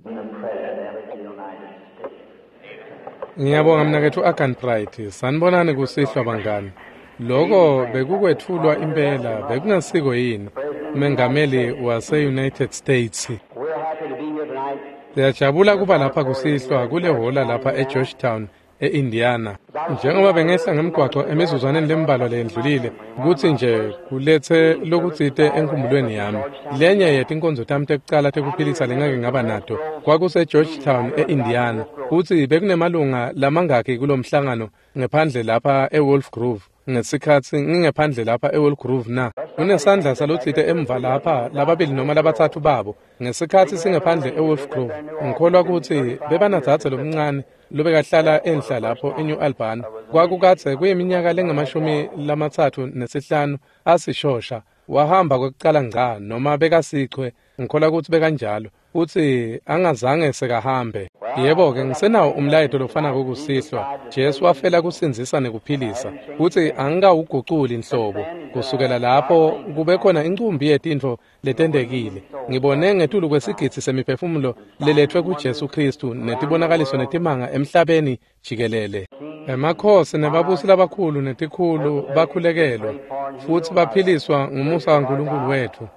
The President of the United States. Ngiyabonga mnaketfu Arganbright. Sanibonani kusihlwa bangani. Loko bekukwetfulwa impela bekungasiko yini Mengameli wase-United States. We're happy to be here tonight. Siyajabula kuba lapha kusihlwa kule hhola lapha eGeorgetown e-Indiana. Njengoba bengehla ngemgwaco emizuzwaneni lembalwa leyendlulile kutsi nje kuletse lokutsite enkhumbulweni yami. Lenye yetinkonzo tami tekucala tekuphilisa lengake ngaba nato kwakuse-Georgetown e-Indiana futsi bekunemalunga lamangaki kulomhlangano ngephandle lapha eWolf Grove. Ngesikhatsi ngingephandle lapha eWolf Grove na kunesandla salotsite emva lapha lababili noma labatsatfu babo ngesikhatsi singephandle eWolf Grove. Ngikholwa kutsi bebanadzadze lomncane lobekahlala enhla lapho eNew Albany. Kwakukadze kuyiminyaka lengamashumi 35 asishosha wahamba kwekucala ngca noma bekasichwe, ngikholwa kutsi bekanjalo futsi angazange sekahambe. Yebo-ke, ngisenawo umlayeto lofanako kusihlwa. Jesu wafela kusindzisa nekuphilisa futsi angikawuguculi nhlobo. Kusukela lapho kube khona incumbi yetintfo letentekile. Ngibone ngetulu kwesigidzi semiphefumulo leletfwe kuJesu Khristu netibonakaliso netimanga emhlabeni jikelele. Emakhosi nebabusi labakhulu netikhulu bakhulekelwa futsi baphiliswa ngumusa waNkulunkulu wetfu.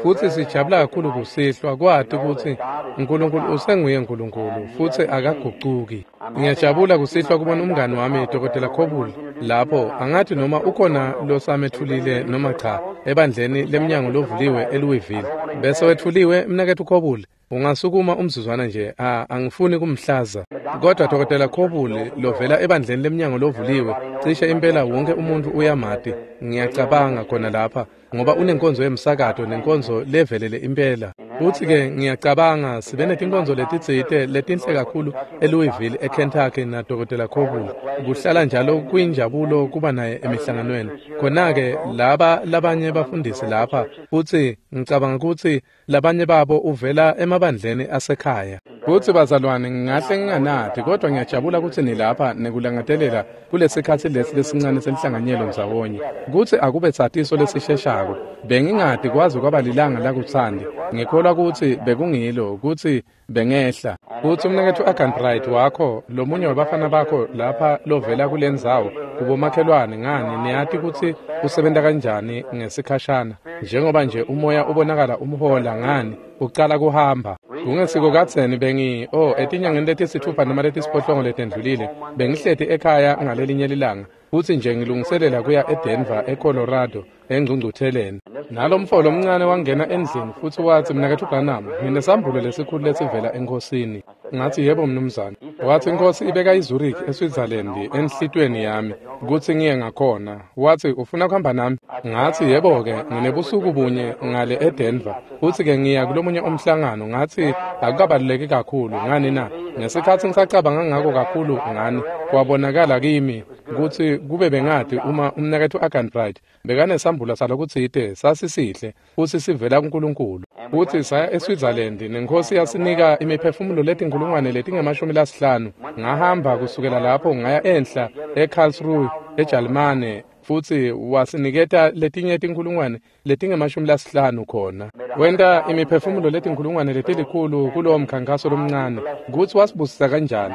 Futsi sijabula kakhulu kusihlwa kwati kutsi Nkulunkulu usenguye Nkulunkulu futsi akagucuki. Ngiyajabula kusihlwa kubona umngani wami Dr. Coble lapho. Angathi noma ukhona losametfulile noma cha ebandleni lemnyango lovuliwe eLouisville. Bese wetfuliwe mnaketfu Coble, ungasukuma umzuzwana nje, angifuni kumhlaza. Kodwa Dr. Coble lovela ebandleni lemnyango lovuliwe, cishe impela wonke umuntu uyamati, ngiyacabanga khona lapha ngoba unenkonzo yemsakato nenkonzo levelele impela. Futsi-ke ngiyacabanga sibe netinkonzo letitsite letinhle kakhulu eLouisville eKentucky na Dr. Coble. Kuhlala njalo kuyinjabulo kuba naye emihlanganweni. Khona-ke laba labanye bafundisi lapha futsi ngicabanga kutsi labanye babo uvela emabandleni asekhaya. Futsi bazalwane, ngingahle nginganati kodwa ngiyajabula kutsi nilapha nekulangatelela kulesikhatsi lesi lesincane senhlanganyelo ndzawonye. Kutsi akube satiso lesisheshako. Bengingati kwaze kwaba lilanga lakutsandi. Ngikholwa kutsi bekungilo kutsi bengehla. Futsi umnaketfu Arganbright wakho, lomunye wabafana bakho lapha lovela kulendzawo kubomakhelwane ngani niyati kutsi usebenta kanjani ngesikhashana. Njengoba nje umoya ubonakala umhola ngani ucala kuhamba. Kungesiko kadzeni bengi etinyangeni letisitfupha noma letisiphohlongo letendlulile bengihleti ekhaya ngalelinye lilanga futsi nje ngilungiselela kuya eDenver eColorado engcungcutheleni. Nalomfo lomncane wangena endlini futsi watsi, mnaketfu Branham, nginesambulo lesikhulu lesivela eNkhosini. Ngathi yebo mnumzane. Watsi iNkhosi ibeka iZurich eSwitzerland enhlitiyweni yami kutsi ngiye ngakhona. Watsi ufuna kuhamba nami? Ngathi yebo-ke, nginebusuku bunye ngale eDenver futsi-ke ngiya kulomunye umhlangano. Ngathi akukabaluleki kakhulu ngani na? Ngesikhatsi ngisacabanga ngako kakhulu ngani, kwabonakala kimi kutsi kube bengati uma umnaketfu Arganbright bekanesambula salokutsite sasisihle futsi sivela kuNkulunkulu. Futsi saya eSwitzerland neNkhosi yasinika imiphefumulo letinkhulungwane letingama-50. Ngahamba kusukela lapho ngaya enhla eKarlsruhe eJalimane futsi wasiniketa letinye tinkhulungwane letingama-50 khona. Wenta imiphefumulo letinkhulungwane letilikhulu kulowo mkhankaso lomncane kutsi wasibusisa kanjani.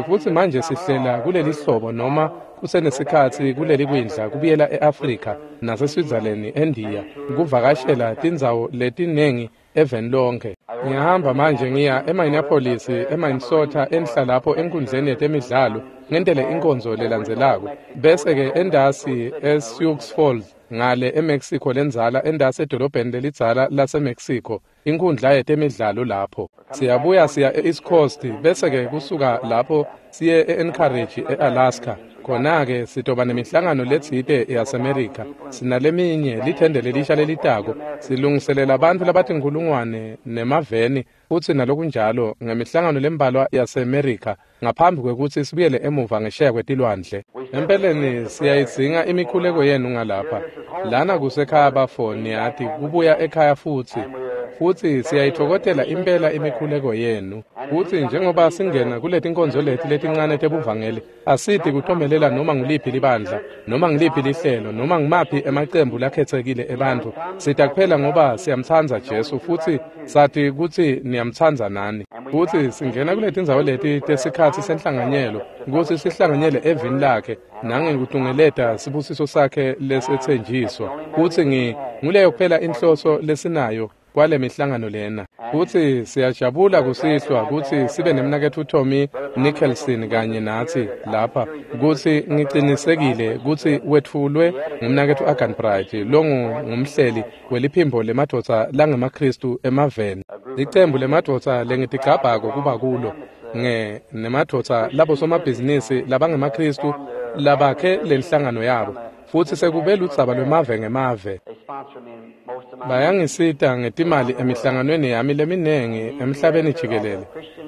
Futsi manje sihlela kuleli hlobo noma kusenesikhatsi kuleli kwindla kubuyela e-Afrika naseSwitzerland eNdiya kuvakashela tindzawo letinengi eveni lonke. Ngiyahamba manje ngiya eMinneapolis, eMinnesota enhla lapho enkundleni yetemidlalo ngentele inkonzo lelandzelako. Bese-ke endasi eSioux Falls ngale eMexico lendzala endasi edolobheni lelidzala laseMexico inkundla yetemidlalo lapho. Siyabuya siya e-East Coast bese-ke kusuka lapho siye e-Anchorage e-Alaska. Khona-ke sitoba nemihlangano letsite yaseMerica. Sinaleminye lithende lelisha lelitako. Silungiselela bantfu labatinkhulungwane nemaveni futsi nalokunjalo ngemihlangano lembalwa yaseMerica ngaphambi kwekutsi sibuyele emuva ngesheya kwetilwandle. Empeleni siyayidzinga imikhuleko yenu ngalapha. Lana kusekhaya bafo niyati kubuya ekhaya futsi. Futsi siyayitfokotela impela imikhuleko yenu. Futsi njengoba singena kuletinkonzo leti letincane tebuvangeli, asiti kutomelela noma nguliphi libandla, noma ngiliphi lihlelo, noma ngumaphi emacembu lakhetsekile ebantfu. Sita kuphela ngoba siyamtsandza Jesu futsi sati kutsi niyamtsandza nani. Futsi singena kuletindzawo leti tesikhatsi senhlanganyelo kutsi sihlanganyele evini lakhe nangekutungeleta sibusiso sakhe lesetsenjiswa. Futsi nguleyo kuphela inhloso lesinayo kwale mihlangano lena. Futsi siyajabula kusihlwa kutsi sibe nemnaketfu Tommy Nicholson kanye natsi lapha, kutsi ngicinisekile kutsi wetfulwe ngumnaketfu Agan Bright longumhleli weliphimbo lemadvodza langemaKhristu emaveni. Licembu lemadvodza lengitigcabhako kuba kulo nemadvodza labosomabhizinisi labangemaKhristu labakhe lenhlangano yabo. Futsi sekube ludzaba lwemave ngemave. Bayangisita ngetimali emihlanganweni yami leminengi emhlabeni jikelele.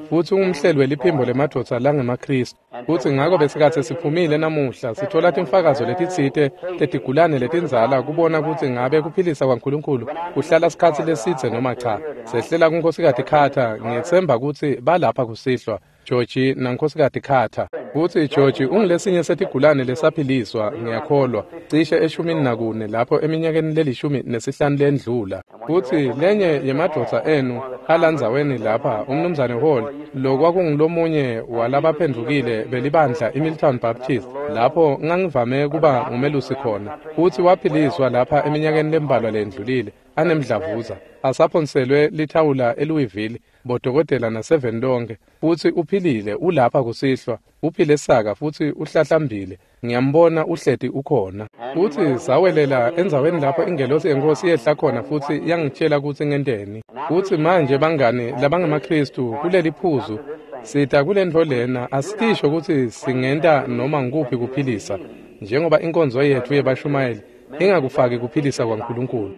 Futsi ungumhleli weliphimbo lemadvodza langemaKhristu. Futsi ngako besikhatsi siphumile namuhla sithola timfakazo letitsite tetigulane letindzala kubona kutsi ngabe kuphilisa kwaNkulunkulu kuhlala sikhatsi lesidze noma cha. Sehlela kuNkhosikati Carter, ngiyetsemba kutsi balapha kusihlwa. Georgie naNkhosikati Carter. Futsi Georgie ungulesinye setigulane lesaphiliswa, ngiyakholwa, cishe 14 lapho eminyakeni le15 lendlula. Futsi lenye yemadvodza enu alandzaweni lapha, umnumzane Hall, lokwakungulomunye walabaphendvukile belibandla iMilltown Baptist, lapho ngangivame kuba ngumelusi khona. Futsi waphiliswa lapha eminyakeni lembalwa lendlulile, anemdlavuza, asaphonselwe lithawula eLouisville, bodokotela naseveni lonke. Futsi uphilile, ulapha kusihlwa, uphile saka futsi uhlahlambile. Ngiyambona uhleti ukhona. Futsi sawelela endzaweni lapho ingelosi yenkosi yehla khona futsi yangitshela kutsi ngenteni. Futsi manje bangani labangemaKhristu kuleli phuzu sita kulentfo lena, asitisho kutsi singenta noma ngukuphi kuphilisa, njengoba inkonzo yetfu yebashumayeli ingakufaki kuphilisa kwaNkulunkulu.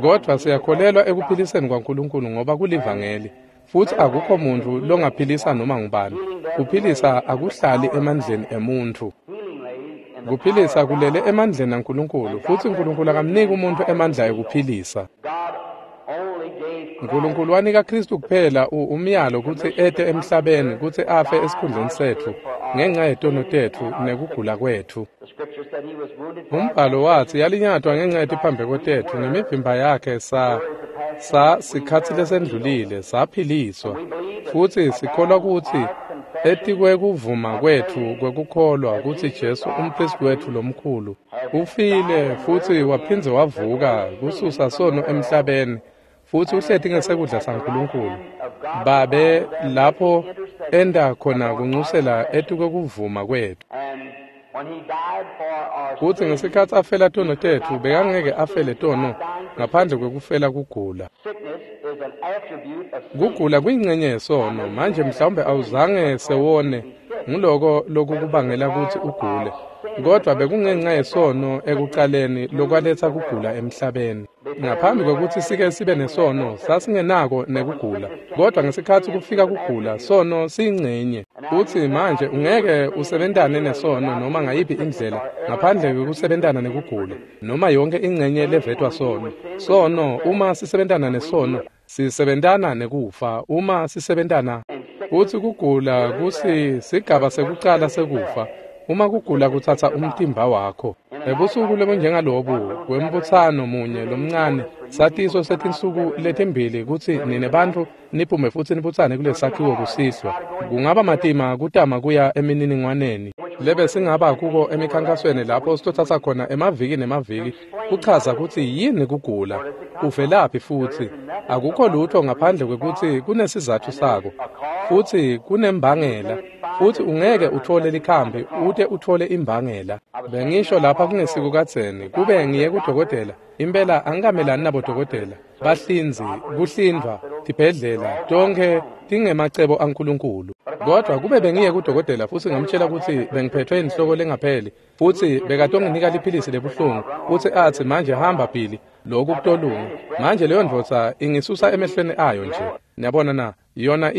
Kodvwa siyakholelwa ekuphiliseni kwaNkulunkulu ngoba kulivangeli. Futsi akukho muntfu longaphilisa noma ngubani. Kuphilisa akuhlali emandleni emuntfu. Kuphilisa kulele emandleni aNkulunkulu, futsi Nkulunkulu akamniki umuntfu emandla ekuphilisa. Nkulunkulu wanika Khristu kuphela umyalo kutsi ete emhlabeni kutsi afe esikhundleni setfu ngenxa yetono tetfu nekugula kwetfu. Umbhalo watsi yalinyatwa ngenxa yetiphambeko tetfu, ngemivimba yakhe sa sikhatsi lesendlulile saphiliswa. Futsi sikholwa kutsi etikwekuvuma kwetfu kwekukholwa kutsi Jesu umphristi wetfu lomkhulu ufile futsi waphindze wavuka kususa sono emhlabeni, futsi uhleti ngesekudla saNkulunkulu Babe lapho enda khona kunxusela etikwekuvuma kwetfu. Futsi ngesikhatsi afela tono tetfu, bekangeke afele tono ngaphandle kwekufela kugula. Kugula kuyingcenye yesono. Manje mhlawumbe awuzange sewone, nguloko lokukubangela kutsi ugule. Kodvwa bekungenxa yesono ekucaleni lokwaletsa kugula emhlabeni. Ngaphambi kwekutsi sike sibe nesono, sasingenako nekugula. Kodvwa ngesikhatsi kufika kugula, sono siyingcenye. Futsi manje ungeke usebentane nesono noma ngayiphi indlela ngaphandle kwekusebentana nekugula, noma yonke ingcenye levetwa sono. Sono, uma sisebentana nesono, sisebentana nekufa. Uma sisebentana, futsi kugula kusi sigaba sekucala sekufa. Uma kugula kutsatsa umtimba wakho. Ebusuku lobunjengalobu kwembutsano munye lomncane, satiso setinsuku letimbili kutsi nine bantfu niphume futsi nibutsane kulesakhiwo kusihlwa. Kungaba matima kutama kuya emininingwaneni lebe singaba kuko emikhankasweni lapho sitotsatsa khona emaviki nemaviki kuchaza kutsi yini kugula, kuvelaphi, futsi akukho lutho ngaphandle kwekutsi kunesizatfu sako futsi kunembangela, futsi ungeke utfole likhambi ute utfole imbangela. Bengisho lapha kungesiko kadzeni kube ngiye kudokotela, impela angikamelani nabodokotela, bahlinzi, kuhlindvwa, tibhedlela, tonkhe tingemacebo aNkulunkulu. Kodvwa kube bengiye kudokotela futsi ngamtshela kutsi bengiphethwe inhloko lengapheli, futsi bekatonginika liphilisi lebuhlungu, futsi atsi manje hamba Billy, lokhu kutolunga. Manje leyo ndvodza ingisusa emehlweni ayo nje. Niyabona na? Yona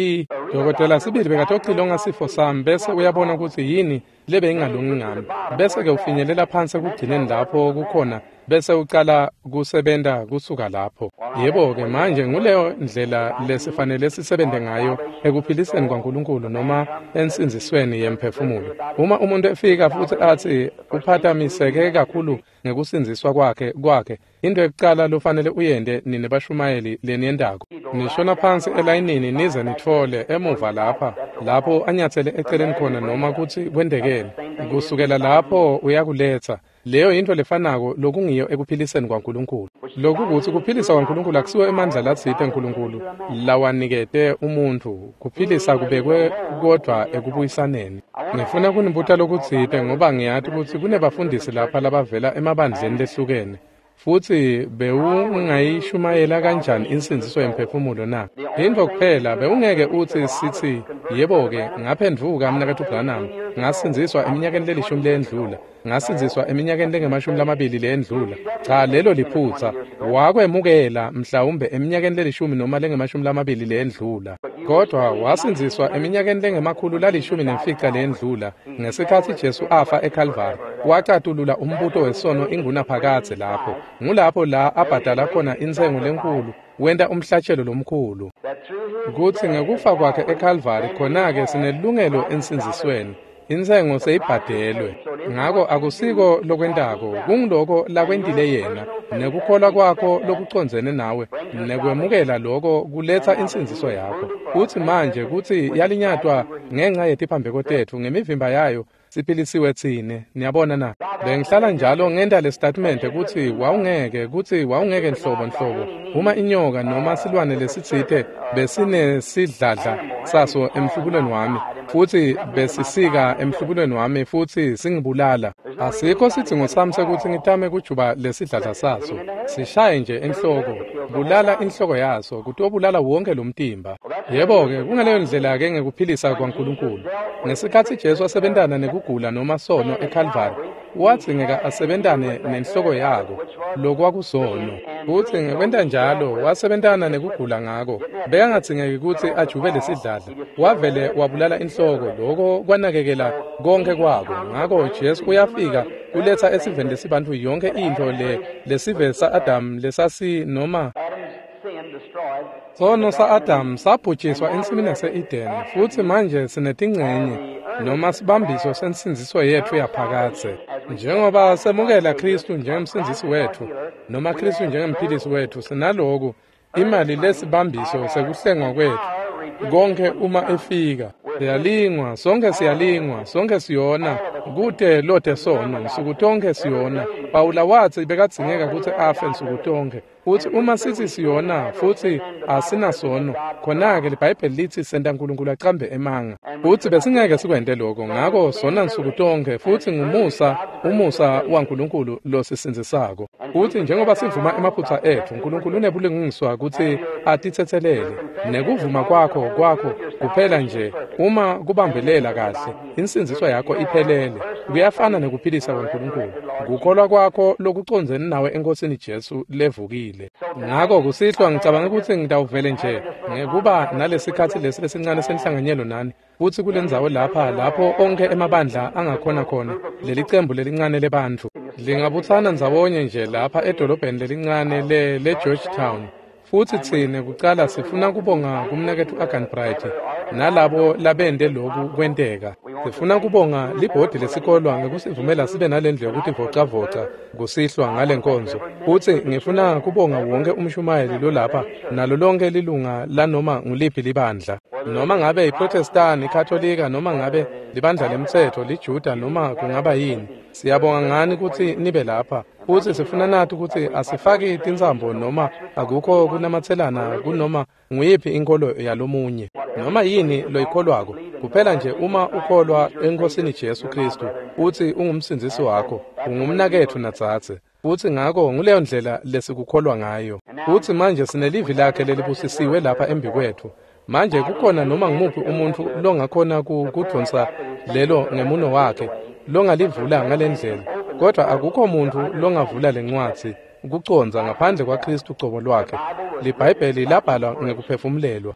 dokotela sibili bekatocilonga sifo sami bese uyabona kutsi yini lebe ingalungi ngami. Bese ke ufinyelela phansi ekugcineni lapho kukhona Bese ucala kusebenta kusuka lapho. Yebo-ke manje nguleyo ndlela lesifanele sisebente ngayo ekuphiliseni kwaNkulunkulu noma ensindzisweni yemphefumulo. Uma umuntu efika futsi atsi uphatamiseke kakhulu ngekusindziswa kwakhe, into yokucala lofanele uyente nine bashumayeli leniyentako, nishona phansi elayinini nize nitfole emuva lapha lapho anyatsele eceleni khona noma kutsi kwentekeni. Kusukela lapho uyakuletsa. Leyo yinto lefanako lokungiyo ekuphiliseni kwaNkulunkulu. Lokhu kutsi kuphilisa kwaNkulunkulu akusiwo emandla latsite Nkulunkulu lawanikete umuntfu. Kuphilisa kubekwe kodvwa ekubuyisaneni. Ngifuna kunibuta lokutsite ngoba ngiyati kutsi kunebafundisi lapha labavela emabandleni lehlukene. Futsi bewungayishumayela kanjani insindziso yemphefumulo na? Intfo kuphela bewungeke utsi sithi yebo-ke ngaphendvuka mnaketfu Branham, ngasindziswa eminyakeni lelishumi leyendlula, ngasindziswa eminyakeni lengemashumi lamabili leyendlula. Cha, lelo liphutsa. Wakwemukela mhlawumbe eminyakeni lelishumi noma lengemashumi lamabili leyendlula, kodwa wasindziswa eminyakeni lengemakhulu lalishumi nemfica leyendlula ngesikhatsi Jesu afa eKalvari. Wacatulula umbuto wesono ingunaphakadze lapho. Ngulapho la abhadala khona intsengo lenkulu, wenta umhlatshelo lomkhulu. Kutsi ngekufa kwakhe eKalvari khona-ke sinelungelo ensindzisweni. Intsengo seyibhadelwe. Ngako akusiko lokwentako, kunguloko lakwentile yena, nekukholwa kwakho lokucondzene nawe, nekwemukela loko kuletsa insindziso yakho. Kutsi manje kutsi yalinyatwa ngenca yetiphambeko tetfu, ngemivimba yayo siphilisiwe tsine. Niyabona na? Bengihlala njalo ngenta le statement kutsi wawungeke nhlobo nhlobo uma inyoka noma silwane lesitsite besinesidladla saso emhlubulweni wami futsi besisika emhlubulweni wami futsi singibulala, asikho sidzingo sami sekutsi ngitame kujuba lesidladla saso. Sishaye nje enhloko, bulala inhloko yaso, kutobulala wonke lo mtimba. Yebo-ke kungaleyo ndlela-ke ngekuphilisa kwaNkulunkulu. Ngesikhatsi Jesu asebentana nekugula noma sono eKalvari, wadzingeka asebentane nenhloko yako, lokwakusono. Futsi ngekwenta njalo wasebentana nekugula ngako. Bekangadzingeki kutsi ajube lesidladla. Wavele wabulala inhloko, loko kwanakekela konke kwako. Ngako Jesu uyafika kuletsa esiveni lesibantfu yonke intfo le lesive sa-Adamu lesasi noma sono sa-Adamu sabhujiswa ensimini yase-Edeni, futsi manje sinetincenye noma sibambiso sensindziso yetfu yaphakadze. Njengoba semukela Khristu njengemsindzisi wetfu noma Khristu njengemphilisi wetfu, sinaloku imali lesibambiso sekuhlengwa kwetfu konke uma efika. Siyalingwa, sonke siyalingwa, sonke siyona, kute lote sono, nsuku tonke siyona. Pawula watsi bekadzingeka kutsi afe nsuku tonke. Futsi uma sithi siyona futsi asinasono, khona-ke liBhayibheli litsi senta Nkulunkulu acambe emanga. Futsi besingeke sikwente lokho, ngako sona nsuku tonke, futsi ngumusa, umusa waNkulunkulu losisindzisako. Futsi njengoba sivuma emaphutsa etfu, Nkulunkulu unebulungiswa kutsi atitsetselele. Nekuvuma kwakho kuphela nje uma kubambelela kahle, insindziso yakho iphelele. Kuyafana nekuphilisa kwaNkulunkulu. Kukholwa kwakho lokucondzene nawe eNkosini Jesu levukile. Ngako kusihlwa ngicabanga kutsi ngitawuvele nje ngekuba nalesikhatsi lesi lesincane senhlanganyelo nani, futsi kulendzawo lapha lapho onkhe emabandla angakhona khona, lelicembu lelincane lebantfu lingabutsana ndzawonye nje lapha edolobheni lelincane le-Georgetown. Futsi tsine kucala sifuna kubonga kumnaketfu Arganbright nalabo labente loku kwenteka. Sifuna kubonga libhodi lesikolwa ngekusivumela sibe nalendlu yekutivocavoca kusihlwa ngale nkonzo. Futsi ngifuna kubonga wonke umshumayeli lolapha nalo lonke lilunga lanoma nguliphi libandla, noma ngabe iProtestani, iKatolika, noma ngabe libandla lemtsetfo, liJuda, noma kungaba yini. Siyabonga ngani kutsi nibe lapha. Futsi sifuna nati kutsi asifaki tintsambo noma akukho kunamatselana kunoma nguyiphi inkolo yalomunye, noma yini loyikholwako. Kuphela nje uma ukholwa eNkosini Jesu Khristu utsi ungumsindzisi wakho, ungumnaketfu nadzadze. Futsi ngako nguleyo ndlela lesikukholwa ngayo. Futsi manje sinelivi lakhe lelibusisiwe lapha embikwetfu. Manje kukhona noma ngumuphi umuntfu longakhona kudvonsa lelo ngemuno wakhe, longalivula ngalendlela, kodwa akukho muntfu longavula lencwadzi. kucondza ngaphandle kwaKristu cobo lwakhe. LiBhayibheli labhalwa ngekuphefumulelwa.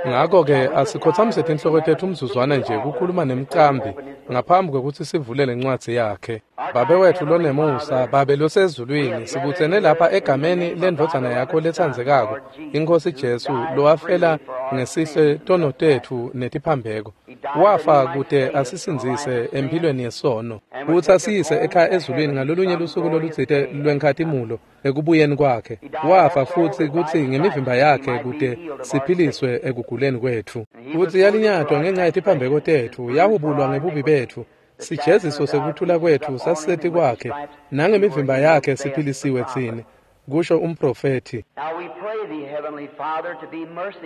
Ngakho-ke asikhotsamise tinhloko tetfu umzuzwana nje kukhuluma nemcambi ngaphambi kwekutsi sivule lencwadzi yakhe. Babe wetfu lonemusa, Babe losezulwini, sibutsene lapha egameni lendvodzana yakho letsandzekako, iNkhosi Jesu, lowafela ngesihle tono tetfu netiphambeko. Wafa kute asisindzise emphilweni yesono, kutsi asiyise ekhaya ezulwini ngalolunye lusuku lolutsite lwenkhatimulo ekubuyeni kwakhe. Wafa futsi kutsi ngemivimba yakhe kute siphiliswe ekuguleni kwetfu. Futsi yalinyatwa ngenxa yetiphambeko tetfu, yahubulwa ngebubi betfu. Sijeziso sekuthula kwetfu sasiseti kwakhe, nangemivimba yakhe siphilisiwe tsine, kusho umprofethi.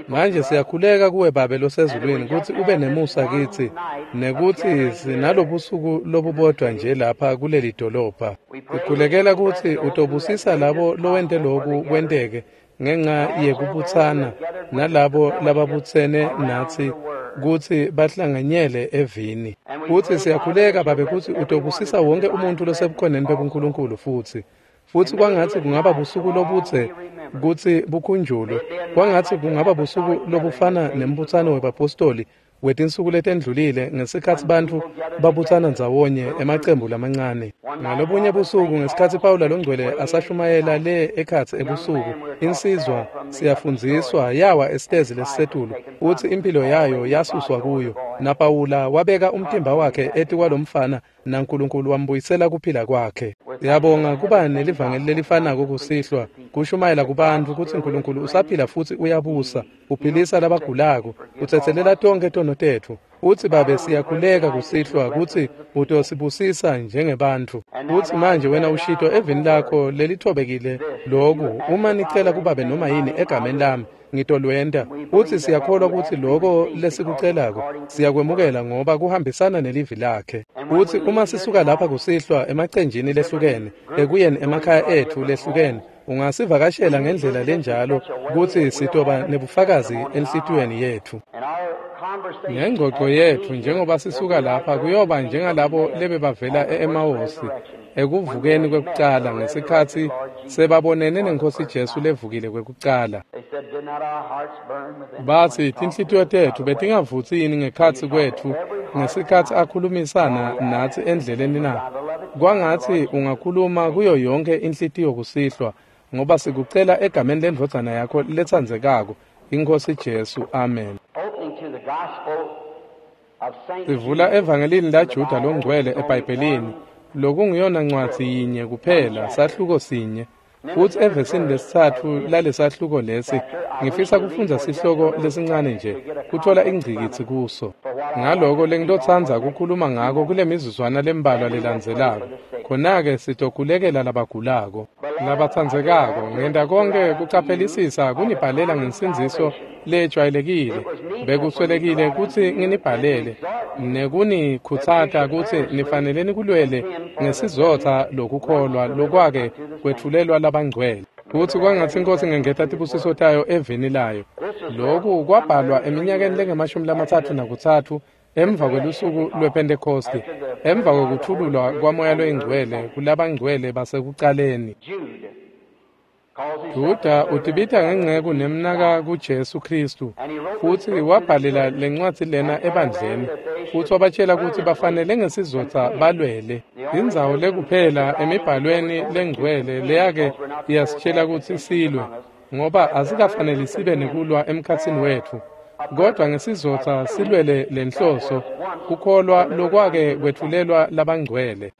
Manje siyakhuleka kuwe Babe losezulwini kutsi ube nemusa kitsi, nekutsi sinalobusuku lobubodwa nje lapha kuleli dolobha. Sikhulekela kutsi utobusisa labo lowente loku kwenteke ngenxa yekubutsana nalabo lababutsene natsi kutsi bahlanganyele evini. Futsi siyakhuleka Babe kutsi utobusisa wonke umuntu losebukhoneni bebuNkulunkulu futsi. Futsi kwangatsi kungaba busuku lobudze kutsi bukhunjulwe, kwangatsi kungaba busuku lobufana nembutsano webapostoli wetinsuku letendlulile ngesikhatsi bantfu babutsana ndzawonye emacembu lamancane. Ngalobunye busuku ngesikhatsi Pawula longcwele asashumayela le ekhatsi ebusuku, insizwa siyafundziswa yawa esitezi lesisetulu, utsi impilo yayo yasuswa kuyo, naPawula wabeka umtimba wakhe etikwalomfana naNkulunkulu wambuyisela kuphila kwakhe. Siyabonga kuba nelivangeli lelifanako kusihlwa, kushumayela kubantfu kutsi Nkulunkulu usaphila futsi uyabusa, uphilisa labagulako, utsetselela tonkhe tono tetfu. Utsi Babe siyakhuleka kusihlwa kutsi utosibusisa njengebantfu. Utsi manje wena ushito evini lakho lelithobekile loku, uma nicela kubabe noma yini egameni lami, ngitolwenta. Utsi siyakholwa kutsi loko lesikucelako siyakwemukela ngoba kuhambisana nelivi lakhe. Utsi uma sisuka lapha kusihlwa emacenjini lehlukene, ekuyeni emakhaya etfu lehlukene, ungasivakashela ngendlela lenjalo kutsi sitoba nebufakazi enhlitiyweni yetfu. Ngengxoxo yetfu njengoba sisuka lapha kuyoba njengalabo lebebavela e-Emawusi ekuvukeni kwekucala ngesikhatsi sebabonene nenkosi Jesu levukile kwekucala. Batsi tinhlitiyo tetfu betingavutsi yini ngekhatsi kwetfu ngesikhatsi akhulumisana natsi endleleni na? Kwangatsi ungakhuluma kuyo yonke inhlitiyo kusihlwa, ngoba sikucela egameni lendvodzana yakho letsandzekako, iNkhosi Jesu. Amen. Sivula evangelini laJuda longcwele eBhayibhelini, lokunguyona ncwadzi yinye kuphela, sahluko sinye. Futsi evesini lesitsatfu lalesahluko lesi, ngifisa kufundza sihloko lesincane nje, kutfola ingcikitsi kuso. Ngaloko lengitotsandza kukhuluma ngako kule mizuzwana lembalwa lelandzelako. Khona-ke sitokhulekela labagulako, labatsandzekako. Ngenta konke kucaphelisisa kunibhalela ngensindziso lejwayelekile. Bekuswelekile kutsi nginibhalele nekunikhutsata kutsi nifanele nikulwele ngesizotha lokukholwa lokwake kwetfulelwa labangcwele. Kutsi kwangatsi iNkhosi ingengeta tibusiso tayo evini layo. Loku kwabhalwa eminyakeni lengamashumi-33 emva kwelusuku lwePhentekhosti, emva kwekuthululwa kwaMoya loyiNgcwele kulabangcwele basekucaleni. Juda utibita ngenceku nemnaka kuJesu Khristu, futsi wabhalela lencwadzi lena ebandleni, futsi wabatshela kutsi bafanele ngesizotha balwele. Indzawo lekuphela emibhalweni lengcwele leyake iyasitshela kutsi silwe, ngoba asikafaneli sibe nekulwa emkhatsini wetfu, kodwa ngesizotha silwele lenhloso, kukholwa lokwake kwetfulelwa labangcwele.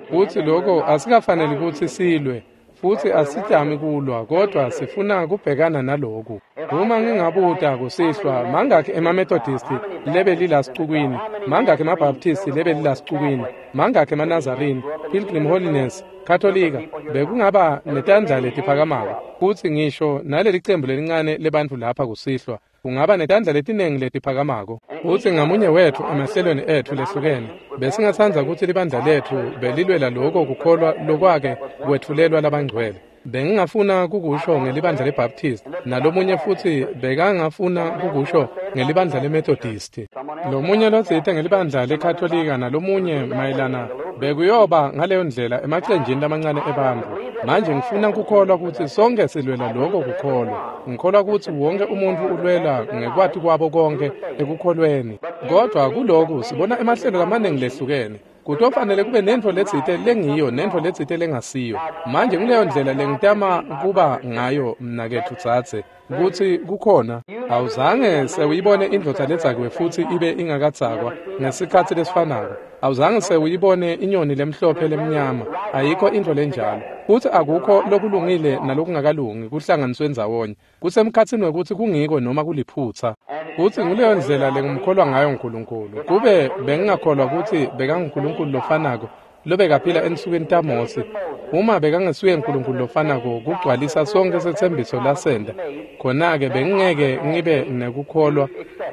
Futsi lokho asikafaneli kutsi silwe, futsi asitami kulwa, kodwa sifuna kubhekana naloku. Uma ngingabuta kusihlwa, mangakhi emaMethodisti lebelila sicukwini, mangakhi emaBaptisti lebelila sicukwini, mangakhi emaNazarene, Pilgrim Holiness, Katolika, bekungaba netandla letiphakamako. Futsi ngisho naleli cembu lelincane lebantfu lapha kusihlwa, kungaba netandla letinengi letiphakamako. Futsi ngamunye wetfu emahlelweni etfu lehlukene, besingatsandza kutsi libandla letfu belilwela loko kukholwa lokwake kwetfulelwa labangcwele. Bengingafuna kukusho ngelibandla leBaptist, nalomunye futsi bekangafuna kukusho ngelibandla leMethodisti, lomunye lotsite ngelibandla leKatolika, nalomunye mayelana Bekuyoba ngaleyo ndlela emacenjini lamancane ebantfu. Manje ngifuna kukholwa kutsi sonke silwela lokho kukholwa. Ngikholwa kutsi wonke umuntfu ulwela ngekwati kwabo konke ekukholweni. Kodwa kulokhu sibona emahlelo lamaningi lehlukene. Kutofanele kube nentfo letsite lengiyo nentfo letsite lengasiyo. Manje nguleyo ndlela lengitama kuba ngayo mnaketfu dzadze, kutsi kukhona. Awuzange sewuyibone indvodza ledzakiwe futsi ibe ingakadzakwa ngesikhatsi lesifanako. Awuzange sewuyibone inyoni lemhlophe lemnyama. Ayikho intfo lenjalo. Futsi akukho lokulungile nalokungakalungi kuhlanganiswe ndzawonye. Kusemkhatsini wekutsi kungiko noma kuliphutsa. Futsi nguleyo ndlela lengimkholwa ngayo uNkulunkulu. Kube bengingakholwa kutsi bekanguNkulunkulu lofanako lobekaphila ensukwini taMose, uma bekangesuye uNkulunkulu lofanako kugcwalisa sonke setsembiso lasenta, khona-ke bengingeke ngibe nekukholwa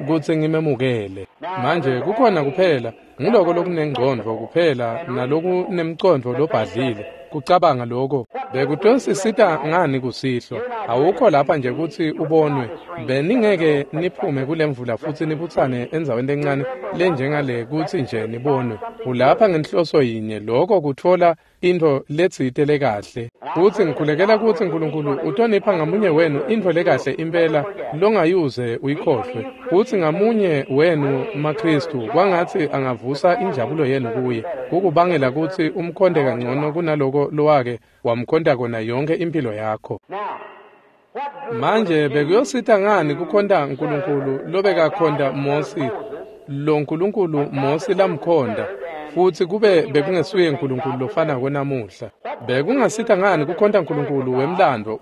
kutsi ngimemukele. Manje kukhona kuphela nguloko lokunengcondvo kuphela nalokunemcondvo lobhadlile kucabanga lokho. Bekutosisita ngani kusihlwa? Awukho lapha nje kutsi ubonwe. Beningeke niphume kulemvula futsi nibutsane endzaweni lencane lenjengale kutsi nje nibonwe. Ulapha ngenhloso yinye, lokho kutfola intfo letsite lekahle. Futsi ngikhulekela kutsi uNkulunkulu utonipha ngamunye wenu intfo lekahle impela longayuze uyikhohlwe. Futsi ngamunye wenu maKhristu kwangatsi angavusa injabulo yenu kuye, kukubangela kutsi umkhonte kangcono kunaloko lowake wamkhonta kona yonkhe impilo yakho. Manje bekuyosita ngani kukhonta uNkulunkulu lobekakhonta Mosi, lo Nkulunkulu Mosi lamkhonta, futsi kube bekungesuye uNkulunkulu lofanako namuhla? Bekungasita ngani kukhonta uNkulunkulu wemlandvo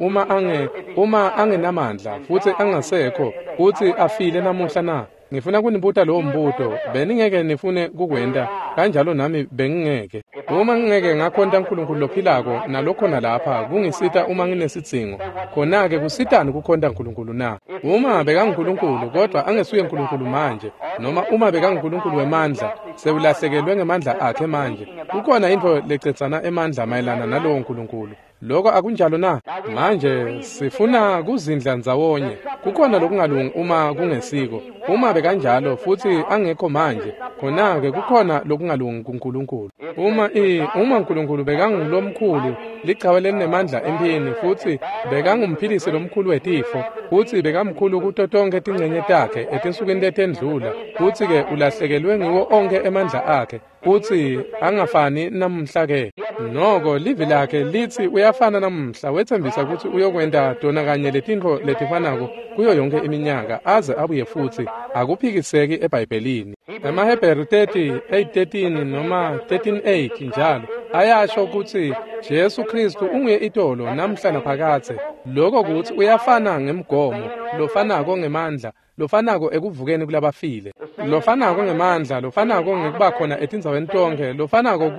uma angenamandla futsi angasekho futsi afile namuhla na? Ngifuna kunibuta lowo mbuto. Beningeke nifune kukwenta kanjalo, nami bengingeke. Uma ngingeke ngakhonta uNkulunkulu lophilako nalokhona lapha kungisita uma nginesidzingo, khona-ke kusitani kukhonta uNkulunkulu na? Uma bekanguNkulunkulu kodwa angesuye uNkulunkulu manje, noma uma bekanguNkulunkulu wemandla, sewulahlekelwe ngemandla akhe manje. Kukhona intfo lecedzana emandla mayelana nalowo Nkulunkulu. Lokho akunjalo na? Manje sifuna kuzindla ndzawonye. Kukhona lokungalungi uma kungesiko. Uma bekanjalo futsi angekho manje, khona-ke kukhona lokungalungi kuNkulunkulu. Uma uNkulunkulu bekangulomkhulu, lichawe lelinemandla emphini, futsi bekangumphilisi lomkhulu wetifo, futsi bekamkhulu kuto tonkhe tincenye takhe etinsukwini letendlula, futsi-ke ulahlekelwe ngiwo onkhe emandla akhe, futsi angafani namuhla ke. Noko livi lakhe litsi uyafana namuhla, wetsembisa kutsi uyokwenta tona kanye letintfo letifanako kuyo yonke iminyaka aze abuye futsi. Akuphikiseki eBhayibhelini. EmaHebheru 30:8-13 noma 13:8 njalo ayasho kutsi Jesu Khristu unguye itolo namhla naphakadze. Lokho kutsi uyafana ngemgomo, lofanako ngemandla, lofanako ekuvukeni kulabafile, lofanako ngemandla, lofanako ngekuba khona etindzaweni tonkhe, lofanako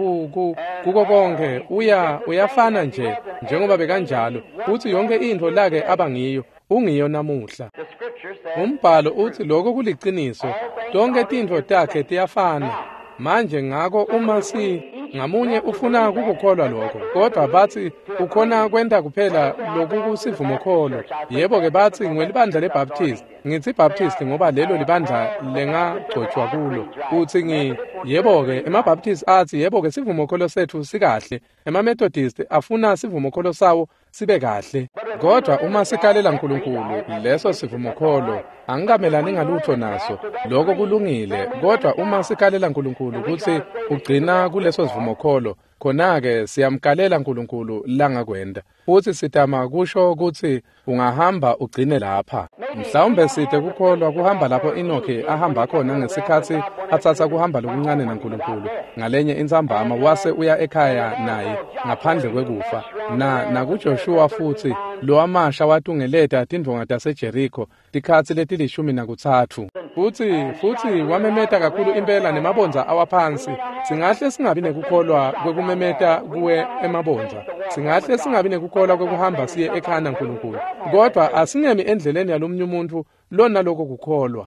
kuko konke. Uyafana nje njengoba bekanjalo, futsi yonke intfo lake aba ngiyo ungiyo namuhla. Umbhalo utsi lokho kuliciniso. Tonkhe tintfo takhe tiyafana. Manje ngako uma ngamunye ufuna kukukholwa lokho, kodwa batsi ukhona kwenta kuphela lokukusivumokholo. Yebo-ke batsi ngiwelibandla leBaptist. Ngitsi Baptist ngoba lelo libandla lengagcotshwa kulo. Utsi yebo-ke emaBaptist atsi yebo-ke sivumokholo setfu sikahle. EmaMethodist afuna sivumokholo sawo sibe kahle. Kodwa uma sikalela uNkulunkulu leso sivumokholo angikamelani ngalutho naso, lokho kulungile. Kodwa uma sikalela uNkulunkulu kutsi ugcina kuleso sivumokholo, khona-ke siyamkalela uNkulunkulu langakwenta. Futsi sitama kusho kutsi ungahamba ugcine lapha. Mhlawumbe site kukholwa kuhamba lapho Enoki ahamba khona ngesikhatsi atsatsa kuhamba lokuncane naNkulunkulu ngalenye intsambama, wase uya ekhaya naye ngaphandle kwekufa. NakuJoshua futsi lowamasha watungeleta tindvonga taseJeriko tikhatsi leti-13. Futsi wamemeta kakhulu impela nemabondza awaphansi. Singahle singabi nekukholwa kwekumemeta kuwe emabondza. Singahle singabi nekukholwa kwekuhamba siye ekhaya naNkulunkulu. Kodwa asingemi endleleni yalomunye umuntu lona lokho kukholwa.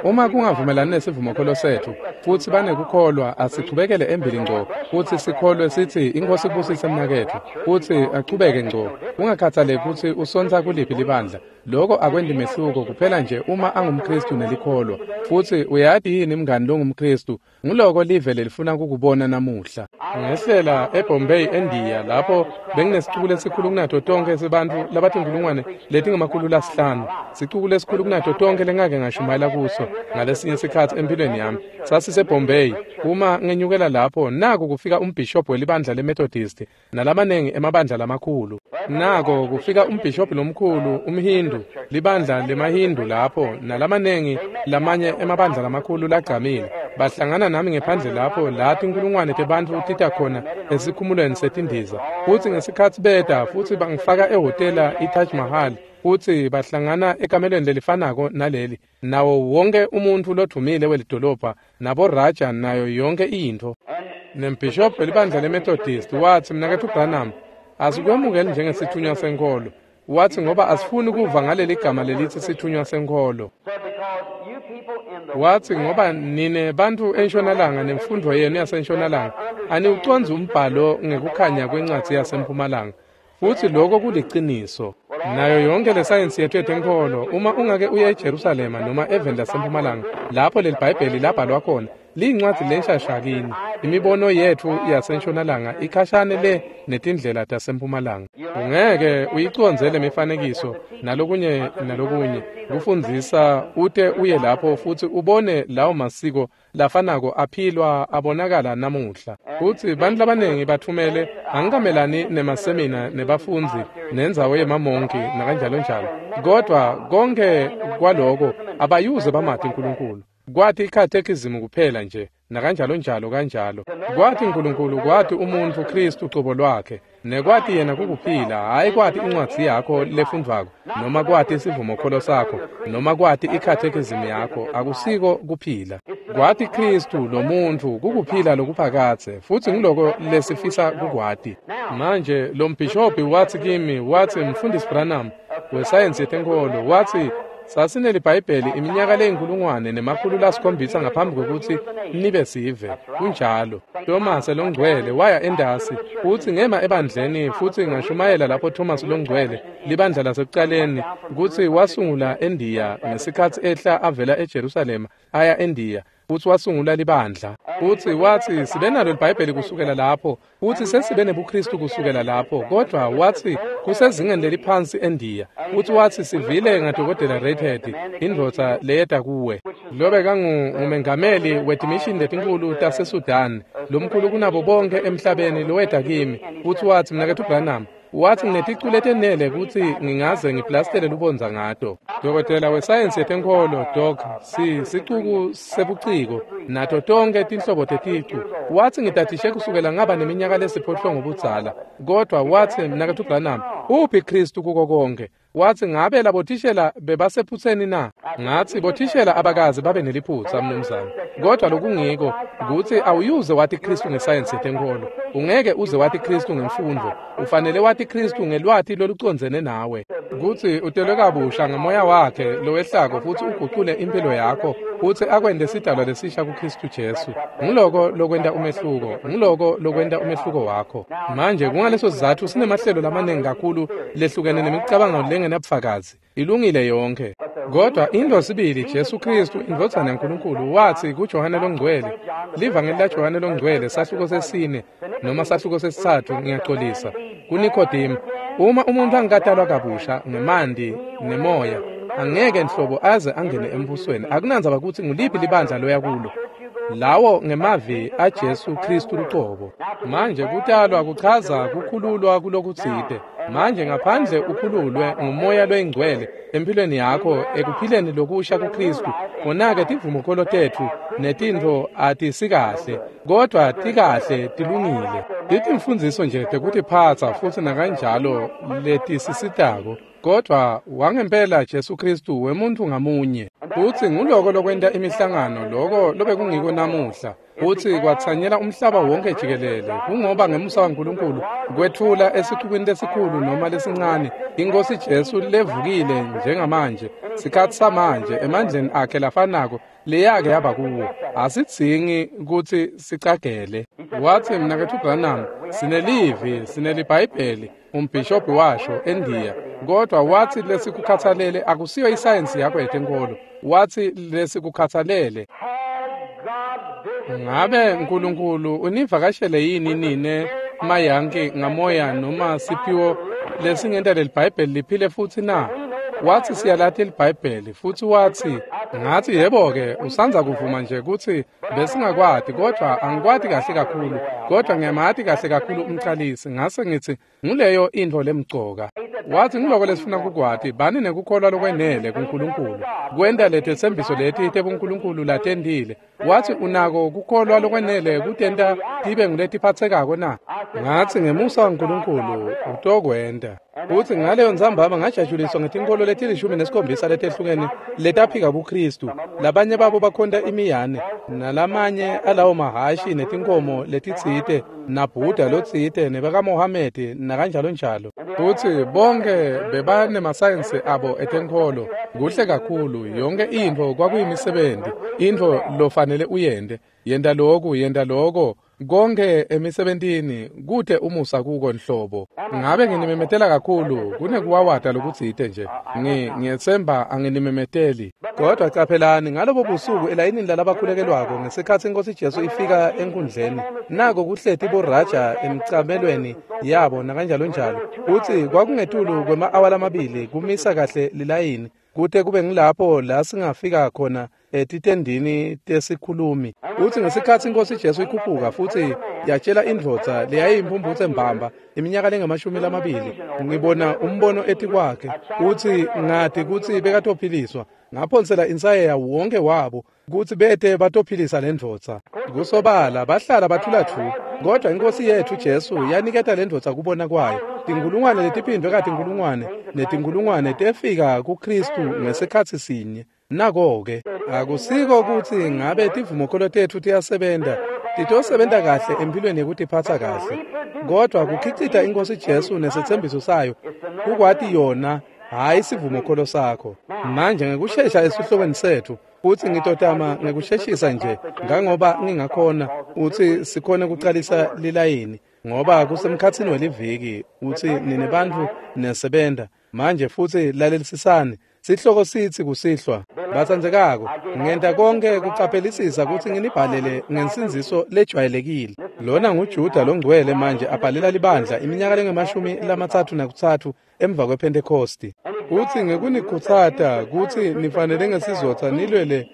Uma kungavumelani nesivumokholo setfu futsi banekukholwa, asichubekele embili ngco futsi sikholwe sithi iNkosi ibusise mnaketfu, futsi achubeke ngco. Kungakhathaleki kutsi usontsa kuliphi libandla. Lokho akwendi mehluko kuphela nje uma angumKristu nelikholwa. Futhi uyati yini mngani longumKristu, nguloko live lelifuna kukubona namuhla. Ngehlela eBombay eNdiya lapho benginesicuku lesikhulu kunato tonke sebantfu labatinkulungwane letingama-500. Sicuku lesikhulu kunato tonke lengake ngashumayela kuso ngalesinye sikhatsi empilweni yami. SasiseBombay. Uma ngenyukela lapho naku kufika umbhishobhi welibandla leMethodist nalamanengi emabandla lamakhulu. Nako kufika umbhishobhi lomkhulu umHindu, libandla lemaHindu lapho nalamanengi lamanye emabandla lamakhulu lagcamile. Bahlangana nami ngephandle lapho la tinkulungwane tebantfu tita khona esikhumulweni setindiza. Futsi ngesikhatsi beta futsi bangifaka ehhotela iTaj Mahal futsi bahlangana ekamelweni lelifanako naleli nawo wonke umuntfu lodvumile welidolobha naboraja nayo yonke intfo. Nembhishobhi welibandla leMethodist watsi, Mnaketfu Branham, asikwemukeli njengesithunywa senkholo. Watsi ngoba asifuni kuva ngaleli gama lelitsi sithunywa senkholo. Watsi ngoba nine bantfu entshonalanga nemfundvo yenu yasentshonalanga aniwucondzi umbhalo ngekukhanya kwencwadzi yasempumalanga. Futsi lokho kuliciniso. Nayo yonke lesayensi yethu yetenkholo, uma ungake uye eJerusalema noma eveni lasempumalanga lapho leli Bhayibheli labhalwa khona, liyincwadzi lenshasha kini. Imibono yetfu yasentshonalanga ikhashane le netindlela tasempumalanga. Ungeke uyicondze lemifanekiso nalokunye nalokunye kufundzisa ute uye lapho futsi ubone lawo masiko lafanako aphilwa abonakala namuhla. Futsi bantfu labanengi bathumele angikamelani nemasemina nebafundzi nendzawo yemamonki nakanjalo njalo. Kodwa konke kwaloko abayuze bamati uNkulunkulu. Kwati ikhathekizimu kuphela nje nakanjalo njalo kanjalo. Kwati uNkulunkulu, kwati umuntfu Kristu cobo lwakhe, nekwati yena kukuphila, hhayi kwati incwadzi yakho lefundvwako noma kwati isivumokholo sakho noma kwati ikhathekizimu yakho, akusiko kuphila. Kwati Kristu lomuntfu kukuphila lokuphakadze, futsi ngiloko lesifisa kukwati. Manje lo mbhishobhi watsi kimi, watsi Mfundisi Branham wesayensi yetenkholo, watsi sasinelibhayibheli iminyaka leyi-1700 ngaphambi kwekutsi nibe sive. Kunjalo. Thomas longcwele waya endasi futsi ngema ebandleni futsi ngashumayela lapho Thomas longcwele, libandla lasekucaleni, kutsi wasungula eNdiya ngesikhatsi ehla avela eJerusalema aya eNdiya, futsi wasungula libandla. Futsi watsi sibe nalo libhayibheli kusukela lapho, futsi sesibe nebuKristu kusukela lapho, kodvwa watsi kusezingeni leliphansi eNdiya. Futsi watsi sivile ngadokotela Redhead, indvodza leyeta kuwe, lobekangumengameli wetimishini letinkhulu taseSudan, lomkhulu kunabo bonke emhlabeni, loweta kimi. Futsi watsi, Mnaketfu Branham, watsi ngineticu letenele kutsi ngingaze ngiplastele lubondza ngato. Dokotela wesayensi yetenkholo, Doc, sicuku sebuciko nato tonke tinhlobo teticu. Watsi ngitatishe kusukela ngaba neminyaka lesiphohlongo budzala. Kodwa watsi, Mnaketfu Branham, uphi Kristu kuko konke? Watsi ngabe labothishela bebasephutseni na? Ngatsi bothishela abakaze babe neliphutsa, mnumzane. Kodwa lokungiko kutsi awuyuze wati Kristu ngesayensi yetenkholo. Ungeke uze wati Kristu ngemfundvo. Ufanele wati Kristu ngelwati lolucondzene nawe. Kutsi utelwe kabusha ngamoya wakhe lowehlako futsi ugucule impilo yakho futsi akwente sidalwa lesisha kuKristu Jesu. Nguloko lokwenta umehluko, nguloko lokwenta umehluko wakho. Manje kungaleso sizatfu sinemahlelo lamanengi kakhulu lehlukene nemicabango lengenabufakazi. Ilungile yonke. Kodwa into sibili Jesu Kristu indvodzana yaNkulunkulu watsi kuJohane longcwele, livangeli laJohane longcwele sahluko sesine noma sahluko sesitsatfu, ngiyaxolisa, kuNikodemu, uma umuntu angakatalwa kabusha ngemanti nemoya, angeke nhlobo aze angene embusweni. Akunandzaba kutsi nguliphi libandla loya kulo. Lawo ngemavi aJesu Kristu lucobo. Manje kutalwa kuchaza kukhululwa kulokutsite. Manje ngaphandle ukhululwe ngumoya loyingcwele empilweni yakho ekuphileni lokusha kuKristu, khona-ke tivumokholo tetfu netintfo atisikahle, kodwa tikahle tilungile. Titimfundziso nje tekutiphatsa futsi nakanjalo letisisitako. Kodwa wangempela Jesu Kristu wemuntfu ngamunye. Futsi nguloko lokwenta imihlangano, loko lobekungiko namuhla. Futsi kwatsanyela umhlaba wonke jikelele, kungoba ngemusa waNkulunkulu kwetfula esicukwini lesikhulu noma lesincane iNkhosi Jesu levukile njengamanje, sikhatsi samanje, emandleni akhe lafanako leyake yaba kuwo. Asidzingi kutsi sicagele. Watsi, Mnaketfu Branham, sinelivi, sinelibhayibheli, umbhishobhi washo eNdiya. Kodwa wathi lesikukhathalele akusiyo isayensi yakho yetenkolo. Wathi lesikukhathalele. Ngabe uNkulunkulu univakashele yini nine mayanki ngamoya noma siphiwo lesingenta leliBhayibheli liphile futhi na? Wathi siyalathi liBhayibheli futhi wathi ngathi yebo-ke usanza kuvuma nje ukuthi besingakwati kodwa angikwati kahle kakhulu kodwa ngiyamati kahle kakhulu umqalisi. Ngase ngithi nguleyo intfo lemcoka. Wathi ngiloko lesifuna kukwati bani nekukholwa lokwenele kuNkulunkulu kwenta letetsembiso leti tebuNkulunkulu latentile. Wathi unako kukholwa lokwenele kutenta tibe nguletiphatsekako na? Ngathi ngemusa waNkulunkulu utokwenta. Uthi ngaleyo ntsambama ngajatshuliswa ngetinkolo leti-17 letehlukene letaphika buKristu. Labanye babo bakhonta imiyane nalamanye alawo mahashi netinkomo letitsite naBuddha lotsite nebakaMohamedi nakanjalo njalo. Futhi bonke bebanemasayensi abo etenkholo kuhle kakhulu. Yonke intfo kwakuyimisebenti, intfo lofanele uyente, yenta loku, yenta loko, konke emisebentini kute umusa kuko nhlobo. Ngabe nginimemetela kakhulu kunekuwawata lokutsite nje. Ngiyetsemba anginimemeteli. Kodwa caphelani ngalobo busuku elayinini lalabakhulekelwako ngesikhatsi iNkosi Jesu ifika enkundleni, nako kuhleti boRaja emcamelweni yabo nakanjalo njalo. Uthi kwakungetulu kwema-awa lamabili kumisa kahle lilayini kute kube ngilapho la singafika khona etitendini tesikhulumi. Uthi ngesikhatsi iNkosi Jesu ikhuphuka futhi yatshela indvodza leyayimphumphutse mbamba iminyaka lengama-20 ngibona umbono etikwakhe. Uthi ngati kutsi bekatophiliswa. Ngaphonsela insayeya wonke wabo kutsi bete batophilisa lendvodza. Kusobala bahlala bathula thu, kodwa iNkosi yethu Jesu yaniketa lendvodza kubona kwayo. Tinkulungwane letiphindwe katinkulungwane netinkulungwane tefika kuKristu ngesikhatsi sinye. Nako-ke akusiko kutsi ngabe tivumokholo tetfu tiyasebenta, titosebenta kahle empilweni yekutiphatsa kahle, kodwa kukhicita iNkosi Jesu nesetsembiso sayo kukwati yona, hhayi sivumokholo sakho. Manje ngekushesha esihlokweni setfu, futsi ngitotama ngekusheshisa nje ngangoba ngingakhona utsi sikhone kucalisa lilayini ngoba kusemkhatsini weliviki. Utsi nine bantfu nesebenta manje futsi lalelisisani. Sihloko sitsi kusihlwa, batsandzekako, ngenta konke kucaphelisisa kutsi nginibhalele ngensindziso lejwayelekile. Lona nguJuda longcwele manje abhalela libandla iminyaka lengama-33 emva kwePhentekhosti. Utsi ngekunikhutsata kutsi nifanele ngesizotsa nilwele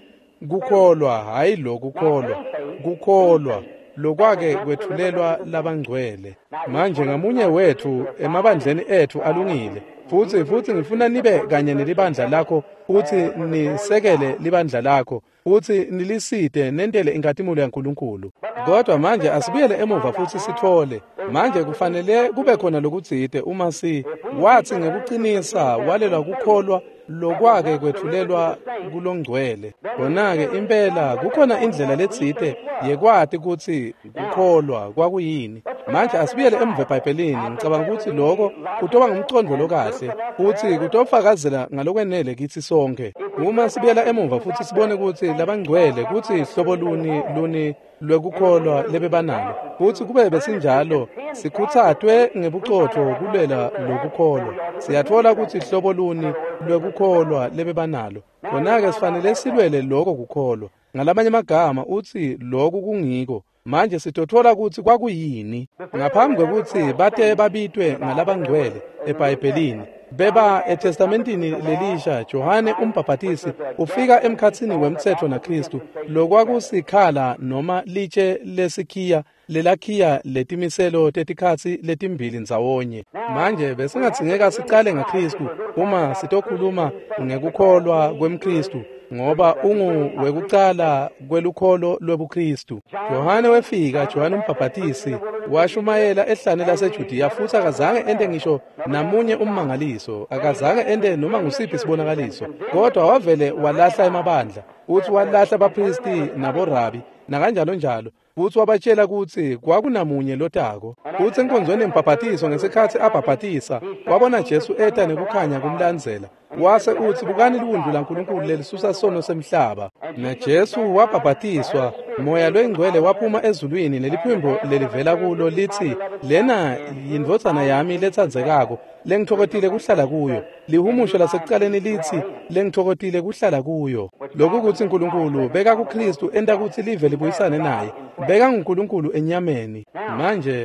kukholwa, hhayi lokukholwa, kukholwa lokwake kwetfulelwa labangcwele. Manje ngamunye wetfu emabandleni etfu alungile, futsi ngifuna nibe kanye nelibandla lakho, futsi nisekele libandla lakho, futsi nilisite nentele inkhatimulo yaNkulunkulu. Kodwa manje asibuyele emuva futsi sitfole. Manje kufanele kube khona lokutsite uma si wathi ngekuqinisa walelwa kukholwa lokwake kwetfulelwa kulongcwele. Kona-ke impela kukhona indlela letsite yekwati kutsi kukholwa kwakuyini. Manje asibuyele emuva eBhayibhelini. Ngicabanga kutsi loko kutoba ngumcondvo lokahle futsi kutofakazela ngalokwenele kitsi sonke. Uma sibuyela emuva futsi sibone kutsi labangcwele kutsi hlobo luni lwekukholwa lebebanalo, futsi kube besinjalo sikhutsatwe ngebucotfo kulwela lokukholwa, siyatfola kutsi hlobo luni lwekukholwa lebebanalo. Khona-ke sifanele silwele loko kukholwa. Ngalamanye amagama utsi loku kungiko. Manje sitotfola kutsi kwakuyini ngaphambi kwekutsi bate babitwe ngalabangcwele eBhayibhelini. Beba eTestamentini lelisha, Johane umbhabhatisi ufika emkhatsini wemtsetfo naKristu, lokwakusikhala noma litshe lesikhiya lelakhiya letimiselo tetikhatsi letimbili ndzawonye. Manje besingadzingeka sicale ngaKristu uma sitokhuluma ngekukholwa kwemKristu, ngoba ungu wekucala kwelukholo lwebuKristu. Johane wefika, Johane umbhabhatisi washumayela ehlane laseJudiya, futsi akazange ente ngisho namunye ummangaliso, akazange ente noma ngusiphi sibonakaliso, kodwa wavele walahla emabandla, utsi walahla abaphristi naborabi nakanjalo njalo, futsi wabatshela kutsi kwakunamunye lotako. Futsi enkonzweni yembhabhatiso ngesikhatsi abhabhatisa, wabona Jesu eta nekukhanya kumlandzela. Wase utsi, bukani liwundlu laNkulunkulu lelisusa sono semhlaba. NaJesu wabhabhatiswa Moya loyingcwele waphuma ezulwini neliphimbo lelivela kulo lithi, lena yindvodzana yami letsandzekako, lengitfokotile kuhlala kuyo. Lihumusho lasekucaleni lithi, lengitfokotile kuhlala kuyo. Lokhu kutsi Nkulunkulu beka kuKristu enta kutsi live libuyisane naye. Beka nguNkulunkulu enyameni.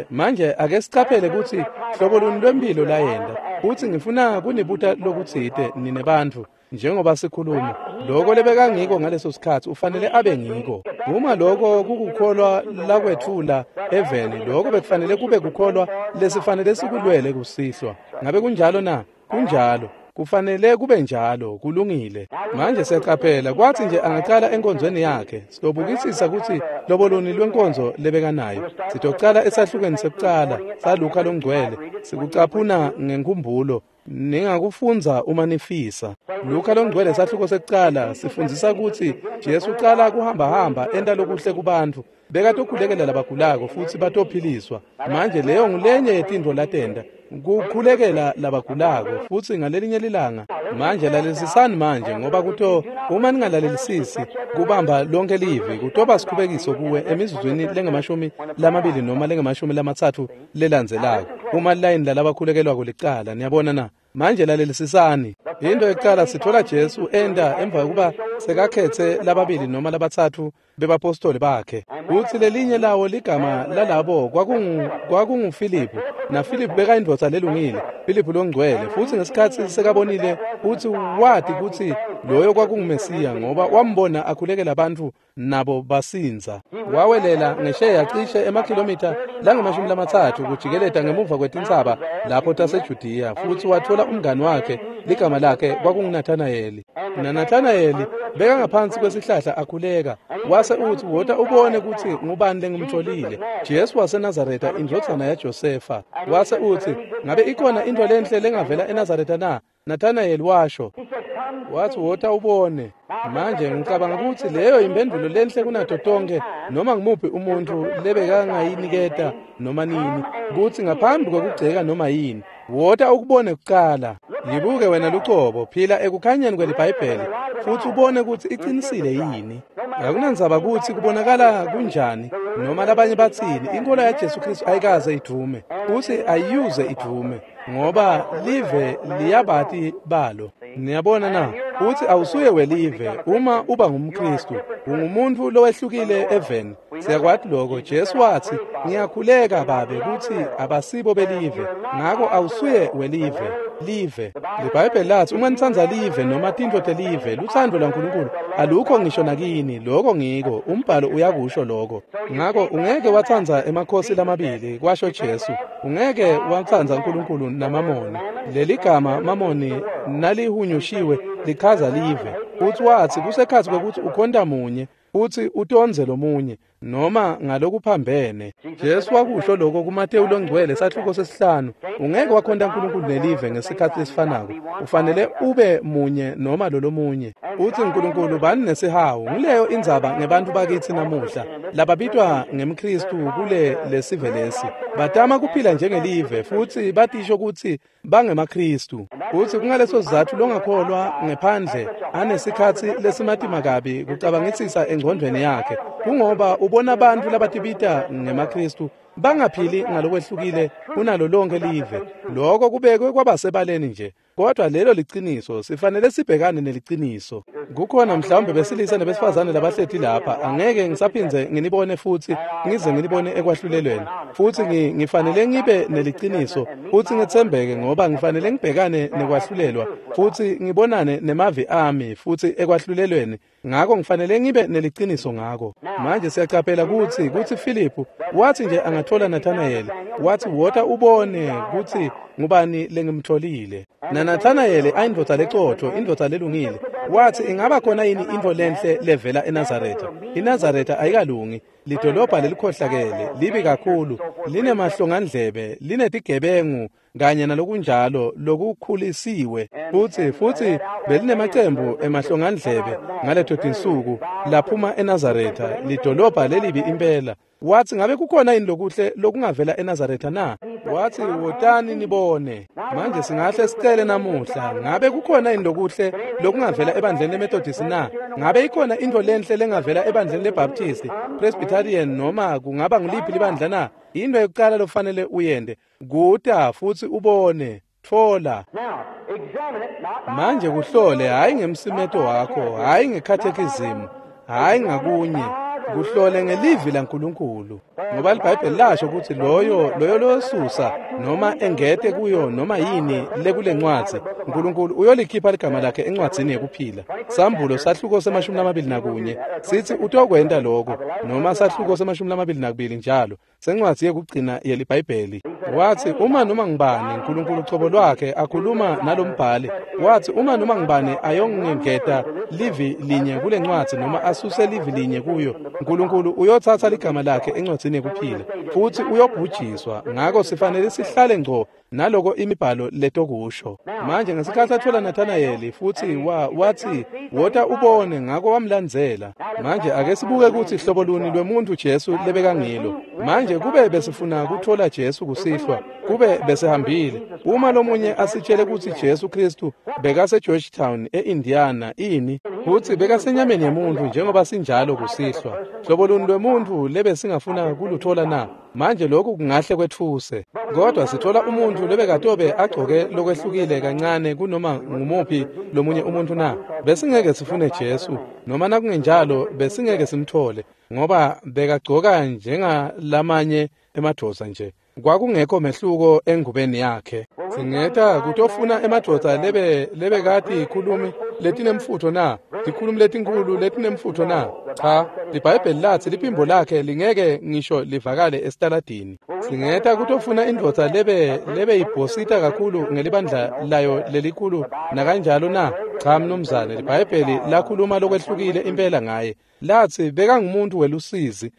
Manje ake sicaphele kutsi hlobo luni lwemphilo layenta. Futsi ngifuna kunibuta lokutsite nine bantfu. Njengoba sikhuluma, lokho lebekangiko ngaleso sikhatsi ufanele abe ngiko. Uma lokho kukukholwa lakwetfula eveni, lokho bekufanele kube kukholwa lesifanele sikulwele kusihlwa. Ngabe kunjalo na? Kunjalo. Kufanele kube njalo, kulungile. Manje siyacaphela, kwatsi nje angacala enkonzweni yakhe, sitobukisisa kutsi hlobo luni lwenkonzo lebekanayo. Sitocala esahlukweni sekucala saLuka longcwele, sikucaphuna ngenkhumbulo. Ningakufundza uma nifisa. Luka longcwele sahluko sekucala sifundzisa kutsi Jesu ucala kuhamba-hamba enta lokuhle kubantfu. Bekatokhulekela labagulako futsi batophiliswa. Manje leyo ngulenye yetintfo latenta, kukhulekela labagulako futsi ngalelinye lilanga. Manje lalelisisani manje, ngoba kuto uma ningalalelisisi kubamba lonke livi kutoba sikhubekiso kuwe emizuzwini lengamashumi 20 noma lengamashumi 30 lelandzelako, uma layini lalabakhulekelwako licala. Niyabona na? Manje lalelisisani. Into yokucala sithola Jesu enta emva kokuba sekakhetse lababili noma labatsatfu bebapostoli bakhe. Kutsi lelinye lawo ligama lalabo kwakunguFiliphu, naFiliphu bekayindvodza lelungile, Filiphu longcwele. Futsi ngesikhatsi sekabonile futsi wati kutsi loyo kwakunguMesiya, ngoba wambona akhulekela abantu nabo basindza. Wawelela ngesheya cishe emakhilomitha langama-30 kujikeleta ngemuva kwetintsaba lapho taseJudiya, futsi wathola umngani wakhe, ligama lakhe kwakunguNathanayeli. NaNathanayeli bekangaphansi kwesihlahla akhuleka, wase utsi, wota ubone kutsi ngubani lengimtfolile, Jesu waseNazaretha, indvodzana yaJosefa. Wase utsi, ngabe ikhona intfo lenhle lengavela eNazaretha na? Nathanayeli washo. Wathi, wota ubone. Manje ngicabanga kutsi leyo imphendvulo lenhle kunato tonke noma ngumuphi umuntfu lebekangayiniketa noma nini, kutsi ngaphambi kwekugceka noma yini, wota ukubone kucala. Yibuke wena lucobo, phila ekukhanyeni kweliBhayibheli futsi ubone kutsi iqinisile yini. Akunandzaba kutsi kubonakala kunjani noma labanye batsini, inkolo yaJesu Kristu ayikaze idvume, futsi ayiyuze idvume, ngoba live liyabati balo. Niyabona na? Utsi awusuye welive uma uba ngumKristu, ungumuntu lowehlukile eveni. Siyakwati lokho. Jesu watsi, ngiyakhuleka Babe kutsi abasibo belive, ngako awusuye welive. Live. LiBhayibheli lathi uma nitsandza live noma tintfo telive, lutsandvo lwaNkulunkulu alukho ngisho nakini. Lokho ngiko, umbhalo uyakusho lokho. Ngako ungeke watsandza emakhosi lamabili, kwasho Jesu. Ungeke watsandza uNkulunkulu naMamoni. Leligama Mamoni nalihunyushiwe lichaza live. Futsi watsi kusekhatsi kwekutsi ukhonta munye futsi utondze lomunye, noma ngalokuphambene. Jesu wakusho lokho kuMateyu longcwele sahluko 5. Ungeke wakhonta uNkulunkulu nelive ngesikhatsi lesifanako. Ufanele ube munye noma lolomunye. Utsi uNkulunkulu bani nesihawu. Ngileyo indzaba ngebantfu bakitsi namuhla lababitwa ngemKristu kule lesive lesi. Batama kuphila njengelive futsi batisho kutsi bangemaKristu. Utsi kungaleso sizatfu longakholwa ngephandle anesikhatsi lesimatima kabi kucabangisisa engcondvweni yakhe, kungoba ubona abantu labatibita ngemaKristu bangaphili ngalokwehlukile kunalo lonke live. Lokho kubekwe kwabasebaleni nje, kodwa lelo liciniso. Sifanele sibhekane neliciniso. Kukhona mhlawumbe besilisa nebesifazane labahleti lapha, angeke ngisaphindze nginibone futsi ngize nginibone ekwahlulelweni. Futsi ngifanele ngibe neliciniso futsi ngetsembeke, ngoba ngifanele ngibhekane nekwahlulelwa futsi ngibonane nemavi ami futsi ekwahlulelweni. Ngako ngifanele ngibe neliciniso ngako. Manje siyacaphela kutsi Filiphu wathi nje angathola Nathanayeli, wathi wota ubone kutsi ngubani lengimtholile. NaNathanayeli ayindvodza lecotfo, indvodza lelungile, wathi ingaba khona yini intfo lenhle levela eNazaretha? INazaretha ayikalungi, lidolobha lelikhohlakele, libi kakhulu, linemahlongandlebe, linetigebengu kanye nalokunjalo lokukhulisiwe. Futsi belinemacembu emahlongandlebe ngaleto tinsuku laphuma eNazaretha, lidolobha lelibi impela. Watsi, ngabe kukhona yini lokuhle lokungavela eNazaretha na? Watsi, wotani nibone. Manje singahle sicele namuhla, ngabe kukhona yini lokuhle lokungavela ebandleni leMethodist na? Ngabe ikhona intfo lenhle lengavela ebandleni leBaptist, Presbyterian noma kungaba nguliphi libandla na? Into yokucala lofanele uyente kuta futsi ubone. Tfola. Manje kuhlole, hhayi ngemsimeto wakho, hhayi ngekhathekizimu, hhayi ngakunye, kuhlole ngelivi laNkulunkulu. Ngoba liBhayibheli lasho kutsi loyo loyosusa noma engete kuyo noma yini lekulencwadzi, Nkulunkulu uyolikhipha ligama lakhe encwadzini yekuphila. Sambulo sahluko se-21 sithi utokwenta lokho, noma sahluko se-22 njalo, sencwadzi yekugcina yeliBhayibheli. Watsi uma noma ngibani, Nkulunkulu cobo lwakhe akhuluma nalombhali, watsi uma noma ngibani ayongengeta livi linye kulencwadzi noma asuse livi linye kuyo, Nkulunkulu uyotsatsa ligama lakhe encwadzini yekuphila futsi uyobhujiswa. Ngako sifanele sihlale ngco naloko imibhalo letokusho. Manje ngesikhatsi atfola Nathanayeli futsi watsi wota ubone, ngako wamlandzela. Manje ake sibuke kutsi hlobo luni lwemuntu Jesu lebekangilo. Manje kube besifuna kutfola Jesu kusihlwa, kube besihambile. Uma lomunye asitshele kutsi Jesu Kristu bekase Georgetown eIndiana ini, kutsi bekasenyameni yemuntu njengoba sinjalo kusihlwa, hlobo luni lwemuntu lebesingafuna kulutfola na? Manje lokhu kungahle kwetfuse, kodwa sithola umuntu lebekatobe agcoke lokwehlukile kancane kunoma ngumuphi lomunye umuntu na? Besingeke sifune Jesu, noma nakungenjalo besingeke simthole, ngoba bekagcoka njengalamanye emadvodza nje. Kwakungekho mehluko engubeni yakhe. Singeta kutofuna emadvodza lebekati ikhulumi letinemfutho na? Tikhulumi letinkhulu letinemfutho na? Cha, liBhayibheli latsi liphimbo lakhe lingeke ngisho livakale esitaladini. Singeta kutofuna indvodza lebe ibhosita kakhulu ngelibandla layo lelikhulu nakanjalo na? Cha mnumzane, liBhayibheli lakhuluma lokwehlukile impela ngaye. Latsi bekangumuntu welusizi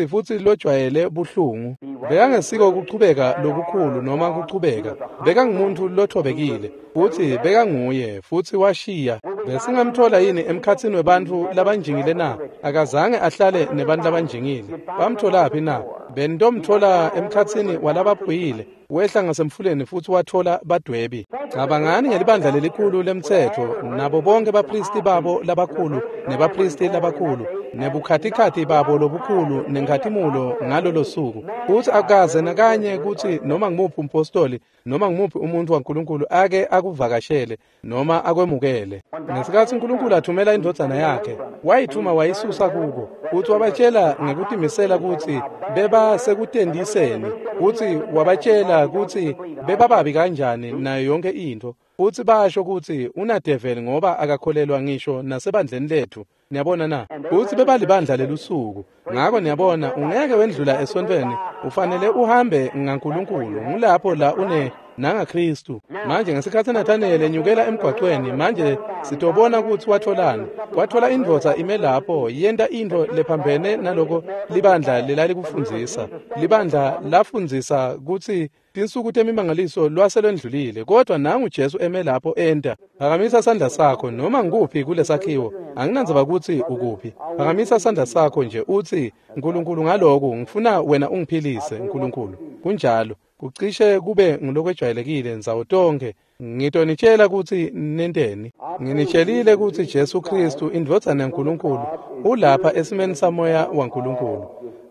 futsi lojwayele buhlungu. Bekangesiko kuchubeka lokukhulu noma kuchubeka. Bekangumuntu lothobekile futsi bekanguye futsi washiya. Besingamthola yini emkhatsini webantfu labanjingile na? Akazange ahlale nebantfu labanjingile. Bamtholaphi na? Bentomthola emkhatsini walabaphuyile. Wehla ngasemfuleni futsi wathola badwebi. Cabangani ngelibandla lelikhulu lemtsetfo nabo bonke bapristi babo labakhulu nebapristi labakhulu nebukhatikhathi babo lobukhulu nenkhatimulo ngalolo suku. Futsi akaze nakanye kutsi noma ngumuphi umpostoli noma ngumuphi umuntu waNkulunkulu ake akuvakashele noma akwemukele. Ngesikhatsi uNkulunkulu athumela indvodzana yakhe, wayithuma wayisusa kuko, futsi wabatshela ngekutimisela kutsi beba sekutendiseni, futsi wabatshela kutsi bebababi kanjani nayo yonke intfo, futsi basho kutsi unadeveli ngoba akakholelwa ngisho nasebandleni lethu. Niyabona na? Futsi bebalibandla lelusuku. Ngako niyabona, ungeke wendlula esontfweni, ufanele uhambe ngaNkulunkulu. Ngulapho la une nangaKristu. Manje ngesikhatsi Nathanayeli enyukela emgwaqweni, manje sitobona kutsi watholani. Wathola indvodza ime lapho yenta intfo lephambene naloko libandla lelalikufundzisa. Libandla lafundzisa kutsi tinsuku temimangaliso lwaselwendlulile, kodwa nangu Jesu eme lapho enta. Phakamisa sandla sakho noma ngikuphi kulesakhiwo, anginandzaba kutsi ukuphi. Phakamisa sandla sakho nje utsi, Nkulunkulu ngaloku ngifuna wena ungiphilise, Nkulunkulu. Kunjalo, kucishe kube ngulokwejwayelekile ndzawo tonkhe. Ngitonitshela kutsi nenteni. Nginitshelile kutsi Jesu Kristu indvodzana yaNkulunkulu ulapha esimeni samoya waNkulunkulu.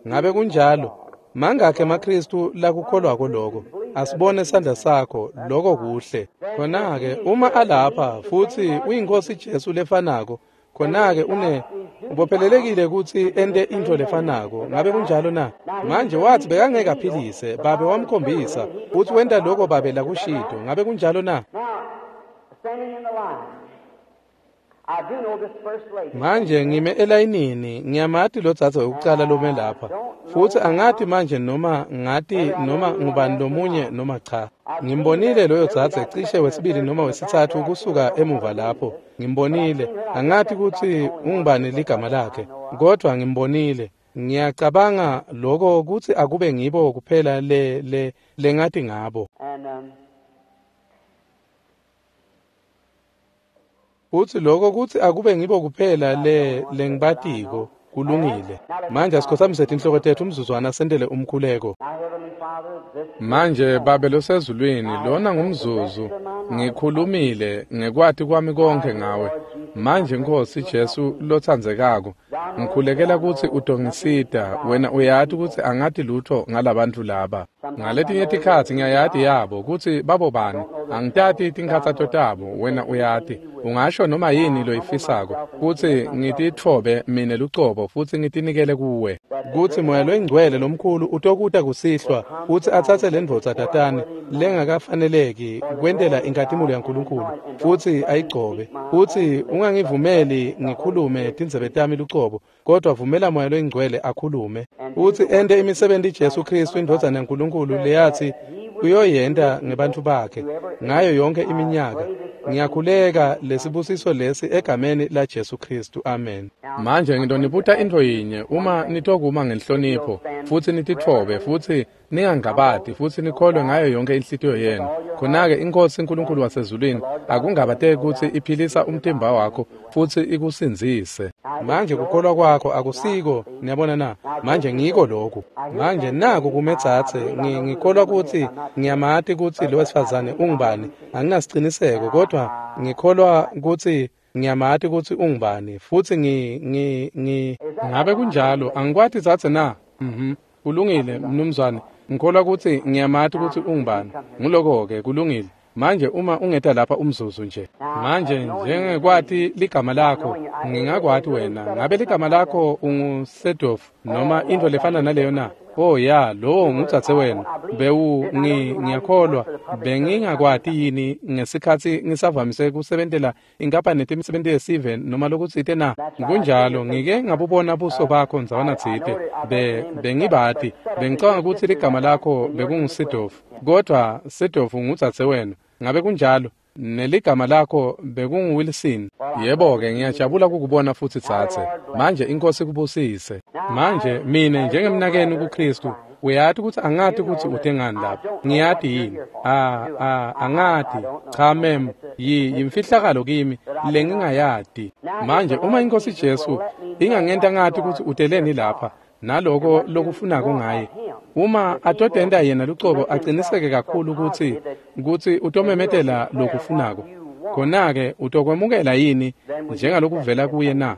Ngabe kunjalo? Mangakhe emaKristu lakukholwako lokho? Asibone sandla sakho, lokho kuhle. Khona-ke uma alapha futsi uyinkosi Jesu lefanako, khona-ke ubophelelekile kutsi ente intfo lefanako. Ngabe kunjalo na? Manje watsi bekangeke aphilise, Babe wamkhombisa futsi wenta lokho Babe lakushito. Ngabe kunjalo na? Manje ngime elayinini, ngiyamati lodzadze wekucala lome lapha, futsi angati manje noma ngati noma ngubani lomunye noma cha. Ngimbonile loyo dzadze cishe wesibili noma wesitsatfu kusuka emuva lapho. Ngimbonile, angati kutsi ungubani ligama lakhe, kodwa ngimbonile. Ngiyacabanga lokho kutsi akube ngibo kuphela le lengati ngabo. Futsi lokho kutsi akube ngibo kuphela lengibatiko. Kulungile. Manje asikhothamise tinhloko tetfu umzuzwana sentele umkhuleko. Manje Babe losezulwini, lona ngumzuzu ngikhulumile ngekwati kwami konke ngawe. Manje Nkosi Jesu lotsandzekako, ngikhulekela kutsi utongisita. Wena uyati kutsi angati lutho ngalabantu laba. Ngaletinye tikhatsi ngiyayati yabo kutsi babobani, angitati tinkhatsato tabo. Wena uyati, ungasho noma yini loyifisako kutsi ngititfobe mine lucobo futsi ngitinikele kuwe, kutsi Moya loyiNgcwele lomkhulu utokuta kusihlwa futsi atsatse lendvodza tatane lengakafaneleki kwentela inkhatimulo yaNkulunkulu futsi ayigcobe. Futsi ungangivumeli ngikhulume tindzebe tami lucobo, kodwa vumela Moya loyiNgcwele akhulume futsi ente imisebenti Jesu Kristu indvodzana yaNkulunkulu leyatsi uyoyenta ngebantfu bakhe ngayo yonke iminyaka. Ngiyakhuleka lesibusiso lesi egameni la Jesu Kristu. Amen. Manje ngitonibuta intfo yinye, uma nitokuma ngenhlonipho futsi nititfobe futsi ningangabati futsi nikholwe ngayo yonke inhlitiyo yenu, khona-ke iNkhosi uNkulunkulu wasezulwini akungabateki kutsi iphilisa umtimba wakho futsi ikusindzise. Manje kukholwa kwakho akusiko, niyabona na? Manje ngiko lokhu. Manje naku kumedzatse, ngikholwa kutsi ngiyamati kutsi lo wesifazane ungubani. Anginasiciniseko, kodwa ngikholwa kutsi ngiyamati kutsi ungubani futsi ngi ngabe kunjalo? Angikwati dzadze na? Kulungile mnumzane, ngikholwa kutsi ngiyamati kutsi ungubani. Nguloko-ke, kulungile. Manje uma ungeta lapha umzuzu nje. Manje njengekwati ligama lakho, ngingakwati wena. Ngabe ligama lakho unguSedof noma intfo lefana naleyo na? Oh ya, lowo ngudzadze wenu. Ngiyakholwa bengingakwati yini ngesikhatsi ngisavamise kusebentela inkampani yetemisebenti yesive noma lokutsite na? Kunjalo, ngike ngabubona buso bakho ndzawana tsite. Bengibati, bengicabanga kutsi ligama lakho bekunguSedof, kodwa Sedof ngudzadze wenu. Ngabe kunjalo? Neligama lakho bekunguWilson. Yebo-ke, ngiyajabula kukubona futsi dzadze. Manje iNkhosi ikubusise. Manje mine njengemnakenu kuKristu, uyati kutsi angati kutsi ute ngani lapha. Ngiyati yini? Angati. Cha mem, yimfihlakalo kimi lengingayati. Manje uma iNkhosi Jesu ingangenta ngati kutsi uteleni lapha naloko lokufunako ngaye, uma atotenta yena lucobo aciniseke kakhulu kutsi utomemetela lokufunako, khona-ke utokwemukela yini njengalokuvela kuye na?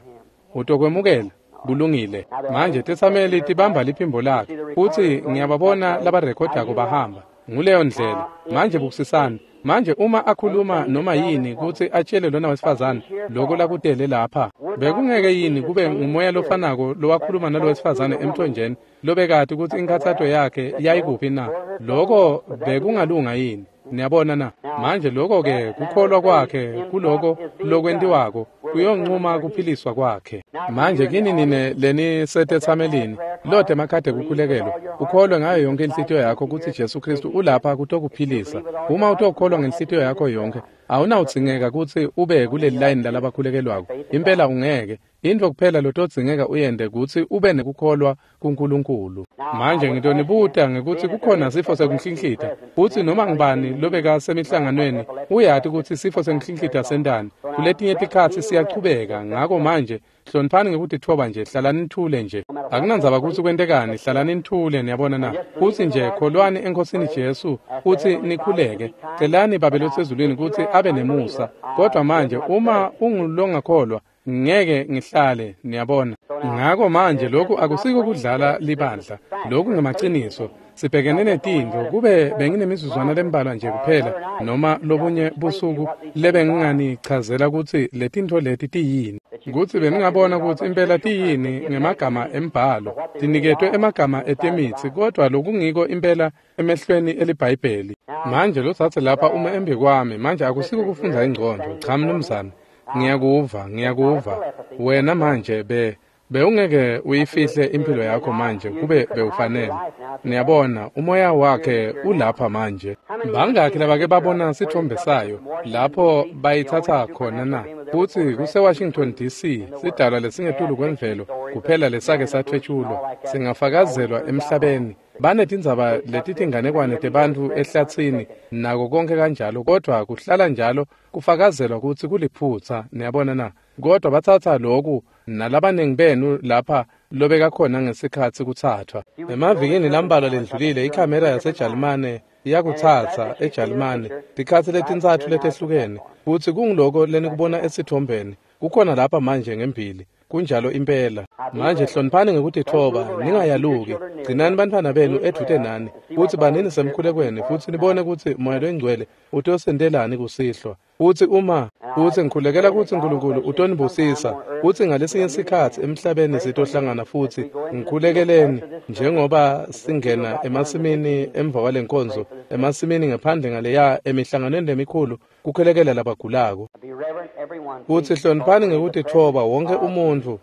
Utokwemukela? Kulungile. Manje tetsameli tibamba liphimbo lakhe futsi ngiyababona labarekhodako bahamba. Nguleyo ndlela. Manje bukisisani. Manje uma akhuluma noma yini kutsi atshele lona wesifazane loko lakutele lapha, bekungeke yini kube ngumoya lofanako lowakhuluma nalo wesifazane emthonjeni lobekati kutsi inkhatsato yakhe yayikuphi na? Loko bekungalunga yini? Niyabona na? Manje loko-ke kukholwa kwakhe kuloko lokwentiwako kuyoncuma kuphiliswa kwakhe. Manje kini nine lenisetetsamelini lote emakhadi ekukhulekelwa, ukholwe ngayo yonke inhlitiyo yakho kutsi Jesu Kristu ulapha kutokuphilisa. Uma utokholwa ngenhlitiyo yakho yonke, awunawudzingeka kutsi ube kuleli layini lalabakhulekelwako. Impela ungeke. Intfo kuphela lotodzingeka uyente kutsi ube nekukholwa kuNkulunkulu. Manje ngitonibuta ngekutsi kukhona sifo sekunhlinhlita, futsi noma ngubani lobekasemihlanganweni uyati kutsi sifo sekunhlinhlita sentani. Kuletinye tikhatsi siyachubeka, ngako manje hloniphani ngekutitfoba nje, hlalani nithule nje. Akunandzaba kutsi kwentekani, hlalani nithule, niyabona na? Futsi nje kholwani eNkhosini Jesu futsi nikhuleke. Celani Babe losezulwini kutsi abe nemusa. Kodwa manje uma ungulongakholwa, ngeke ngihlale, niyabona. Ngako manje lokhu akusiko kudlala libandla, lokhu ngemaciniso. Sibhekene netintfo, kube benginemizuzwana lembalwa nje kuphela noma lobunye busuku lebenginganichazela kutsi letintfo leti tiyini, kutsi beningabona kutsi impela tiyini ngemagama embhalo, tiniketwe emagama etemitsi, kodwa lokungiko impela emehlweni eliBhayibheli. Manje lotsatse lapha uma embi kwami, manje akusiko kufundza ingcondvo, cha mnumzane. Ngiyakuva. Wena manje bewungeke uyifihle impilo yakho manje kube bewufanele. Niyabona, umoya wakhe ulapha manje. Bangakhi labake babona sithombe sayo lapho bayithatha khona na? Futsi kuse-Washington DC, sidalwa lesingetulu kwemvelo kuphela lesake sathwetshulwa, singafakazelwa emhlabeni. Banetindzaba letitinganekwane tebantfu ehlatsini nako konke kanjalo, kodwa kuhlala njalo kufakazelwa kutsi kuliphutsa. Niyabona na? Kodwa batsatsa loku nalabaningi benu lapha lobekakhona ngesikhatsi kutsathwa. Emavikini lambalwa lendlulile ikhamera yaseJalimane iyakutsatsa eJalimane tikhatsi letintsatfu letehlukene, futsi kunguloko lenikubona esitfombeni. Kukhona lapha manje ngembili. Kunjalo impela. Manje hloniphani ngekutitfoba, ningayaluki. Gcinani bantfwana benu edvute nani, futsi banini semkhulekweni, futsi nibone kutsi Moya Longcwele utosentelani kusihlwa. Futsi uma futsi ngikhulekela kutsi Nkulunkulu utonibusisa, futsi ngalesinye sikhatsi emhlabeni sitohlangana futsi ngikhulekeleni njengoba singena emasimini emva kwalenkonzo, emasimini ngephandle ngaleya emihlanganweni lemikhulu kukhulekela labagulako. Futsi hloniphani ngekutitfoba wonke umuntfu,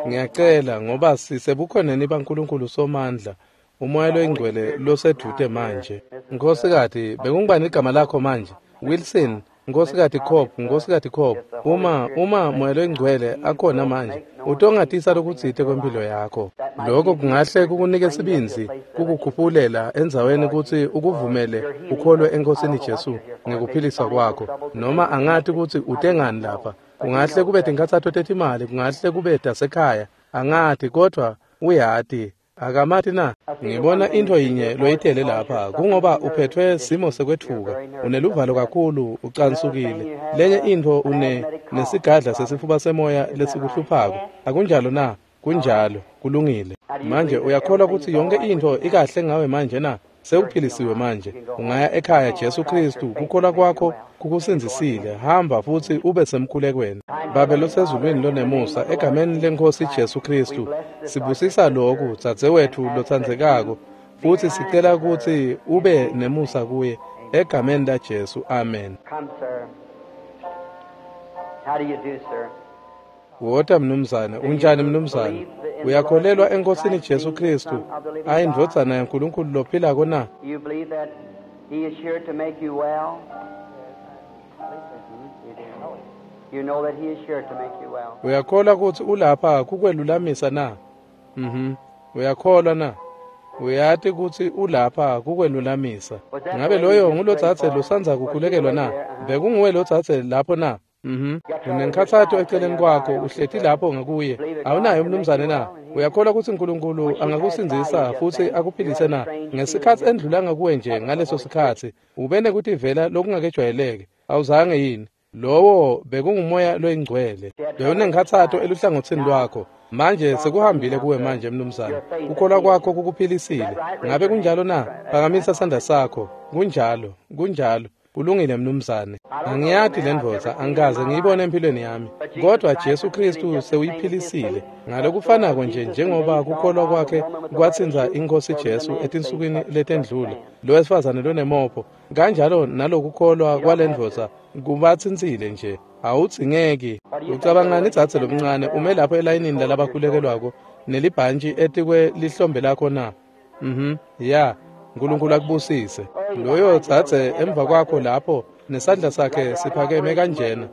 ngiyacela, ngoba sisebukhoneni baNkulunkulu Somandla, uMoya Loyingcwele losedvute manje. Nkhosikati, bekungubani igama lakho manje? Wilson. Nkhosikati Cobb, Nkhosikati Cobb, uma Moya Loyingcwele akhona manje, utongatisa lokutsite kwempilo yakho. Lokho kungahle kukunike sibindzi kukukhuphulela endzaweni kutsi ukuvumele ukholwe eNkosini Jesu ngekuphilisa kwakho. Noma angati kutsi utengani lapha. Kungahle kube tinkhatsato tetimali, kungahle kube tasekhaya, angati, kodwa uyati. Akamati na? Ngibona into yinye loyitele lapha, kungoba uphethwe simo sekwetfuka, uneluvalo kakhulu, ucansukile. Lenye intfo une nesigadla sesifuba semoya lesikuhluphako. Akunjalo na? Kunjalo, kulungile. Manje uyakholwa kutsi yonke intfo ikahle ngawe manje na? Sewuphilisiwe manje. Ungaya ekhaya, Jesu Kristu, kukholwa kwakho kukusindzisile. Hamba futsi ube semkhulekweni. Babe losezulwini lonemusa, egameni leNkhosi Jesu Kristu, sibusisa lokhu dzadzewetfu lotsandzekako, futsi sicela kutsi ube nemusa kuye, egameni laJesu. Amen. Wota mnumzane, unjani mnumzane? Uyakholelwa eNkosini Jesu Kristu, ayindvodzana yaNkulunkulu lophilako na? You believe that he is here to make you well? You know that he is here to make you well. Uyakholwa kutsi ulapha kukwelulamisa na? Uyakholwa na? Uyati kutsi ulapha kukwelulamisa. Ngabe loyo ngulotsatse losandza kukhulekelwa na? Bekunguwe lotsatse lapho na? Unenkhatsato eceleni kwakho, uhleti lapho ngakuye. Awunayo mnumzane na? Uyakholwa kutsi Nkulunkulu angakusindzisa futsi akuphilise na? Ngesikhatsi endlula ngakuwe nje ngaleso sikhatsi, ube nekutivela lokungakejwayeleki. Awuzange yini? Lowo bekunguMoya Loyingcwele. Bewunenkhatsato eluhlangotsini lwakho. Manje sekuhambile kuwe manje mnumzane. Kukholwa kwakho kukuphilisile. Ngabe kunjalo na? Phakamisa sandla sakho. Kunjalo, kunjalo. Kulungile mnumzane. Angiyati le ndvodza, angikaze ngiyibone empilweni yami. Kodwa Jesu Kristu sewuyiphilisile. Ngalokufanako nje njengoba kukholwa kwakhe kwatsintsa iNkhosi Jesu etinsukwini letendlule, lo wesifazane lonemopho, kanjalo nalokukholwa kwale ndvodza kubatsintsile nje. Awudzingeki. Ucabangani dzadze lomncane ume lapho elayinini lalabakhulekelwako nelibhantshi etikwe lihlombe lakho na? Ya. Nkulunkulu akubusise. Loyo dzadze emva kwakho lapho nesandla sakhe siphakeme kanjena.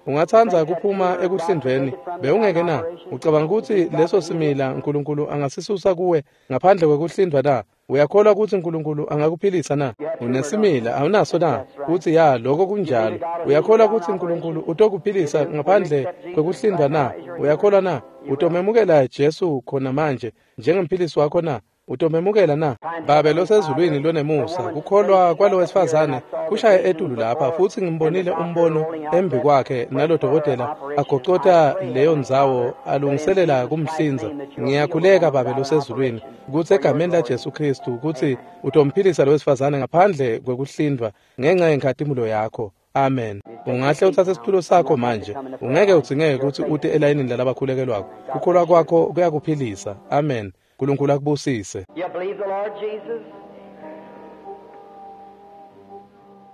Ungatsandza kuphuma ekuhlindvweni, bewungeke na? Ucabanga kutsi leso simila Nkulunkulu angasisusa kuwe ngaphandle kwekuhlindvwa na? Uyakholwa kutsi Nkulunkulu angakuphilisa na? Unesimila, awunaso na? Utsi ya, lokho kunjalo. Uyakholwa kutsi Nkulunkulu utokuphilisa ngaphandle kwekuhlindvwa na? Uyakholwa na? Utomemukela Jesu khona manje njengemphilisi wakho na? Utomemukela na? Babe losezulwini lonemusa, kukholwa kwalo wesifazane kushaye etulu lapha, futsi ngimbonile umbono embi kwakhe nalodokotela agocota leyo ndzawo alungiselela kumhlinza. Ngiyakhuleka Babe losezulwini kutsi egameni laJesu Kristu kutsi utomphilisa lo wesifazane ngaphandle kwekuhlindvwa ngenxa yenkhatimulo yakho. Amen. Ungahle utsatse situlo sakho manje. Ungeke udzingeke kutsi ute elayinini lalabakhulekelwako. Kukholwa kwakho kuyakuphilisa. Amen. Nkulunkulu akubusise. You believe the Lord Jesus?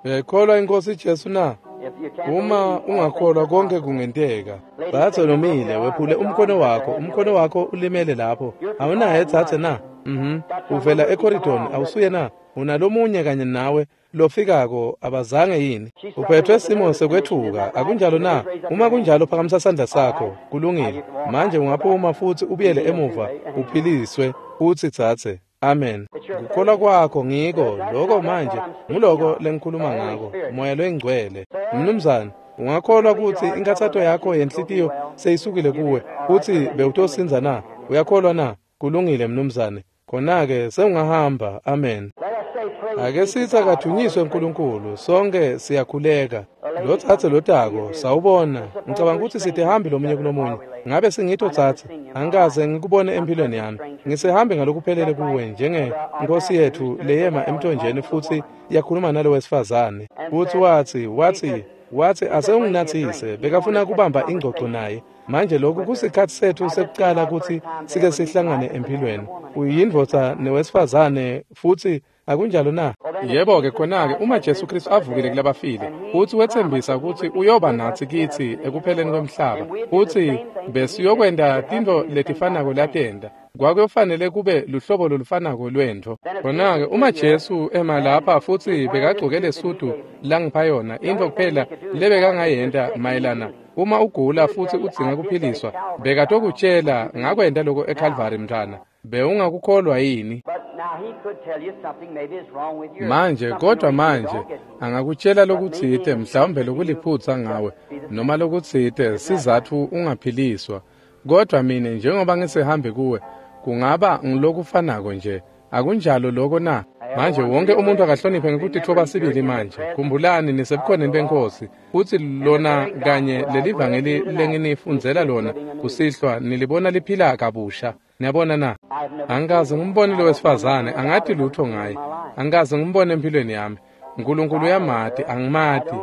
Uyayikholwa iNkhosi Jesu na? If you can't Uma believe, all ungakholwa things are konke possible. kungenteka. Dzadze lomile, wephule umkhono wakho, umkhono wakho ulimele lapho. Awunaye dzadze na? Uvela ecorridor, awusuye na? Unalomunye kanye nawe lofikako abazange yini? Uphethwe simo sekwetfuka, akunjalo na? Uma kunjalo phakamisa sandla sakho. Kulungile. Manje ungaphuma futsi ubuyele emuva, uphiliswe, utsi dzadze. Amen. Kukholwa kwakho ngiko lokho manje, nguloko lengikhuluma ngako, Moya Loyingcwele. Mnumzane, Ungakholwa kutsi inkhatsato yakho yenhlitiyo seyisukile kuwe, futsi bewutosindza na? Uyakholwa na? Kulungile mnumzane. Khona-ke sewungahamba. Amen. Ake sitsi akadvunyiswe uNkulunkulu, sonke siyakhuleka. Lo tsatse lotako, sawubona. Ngicabanga kutsi sitihambi lomunye kulomunye. Ngabe singito tsatse? Angikaze ngikubone empilweni yami. Ngisehambe ngalokuphelele kuwe njenge Nkosi yethu leyema emthonjeni futsi yakhuluma nalo wesifazane. Futsi watsi asewunginatsise, bekafuna kubamba ingcoco naye. Manje lokhu kusikhatsi setfu sekucala kutsi sike sihlangane empilweni. Uyindvodza newesifazane futsi akunjalo na? Yebo-ke khona-ke uma Jesu Kristu avukile kulabafile, futsi wetsembisa kutsi uyoba natsi kitsi ekupheleni kwemhlaba, futsi besiyokwenta tintfo letifanako latenta, kwakuyofanele kube luhlobo lolufanako lwentfo. Khona-ke uma Jesu ema lapha futsi bekagcoke lesudu langipha yona, intfo kuphela lebekangayenta mayelana uma ugula futsi udzinga kuphiliswa, bekatokutjela ngakwenta lokho eCalvary mntwana. Bewungakukholwa yini? Manje kodwa manje angakutjela lokutsite mhlawumbe lokuliphutsa ngawe noma lokutsite sizatfu ungaphiliswa. Kodwa mine njengoba ngisihambe kuwe kungaba ngilokufanako nje. Akunjalo lokho na? Manje wonke umuntu akahloniphe ngekutitfoba sibili manje. Khumbulani nisebukhoneni benkosi, futsi lona kanye lelivangeli lenginifundzela lona kusihlwa nilibona liphila kabusha. Niyabona na? Angikaze ngimbone lo wesifazane, angati lutho ngaye. Angikaze ngimbone empilweni yami. uNkulunkulu uyamati, angimati.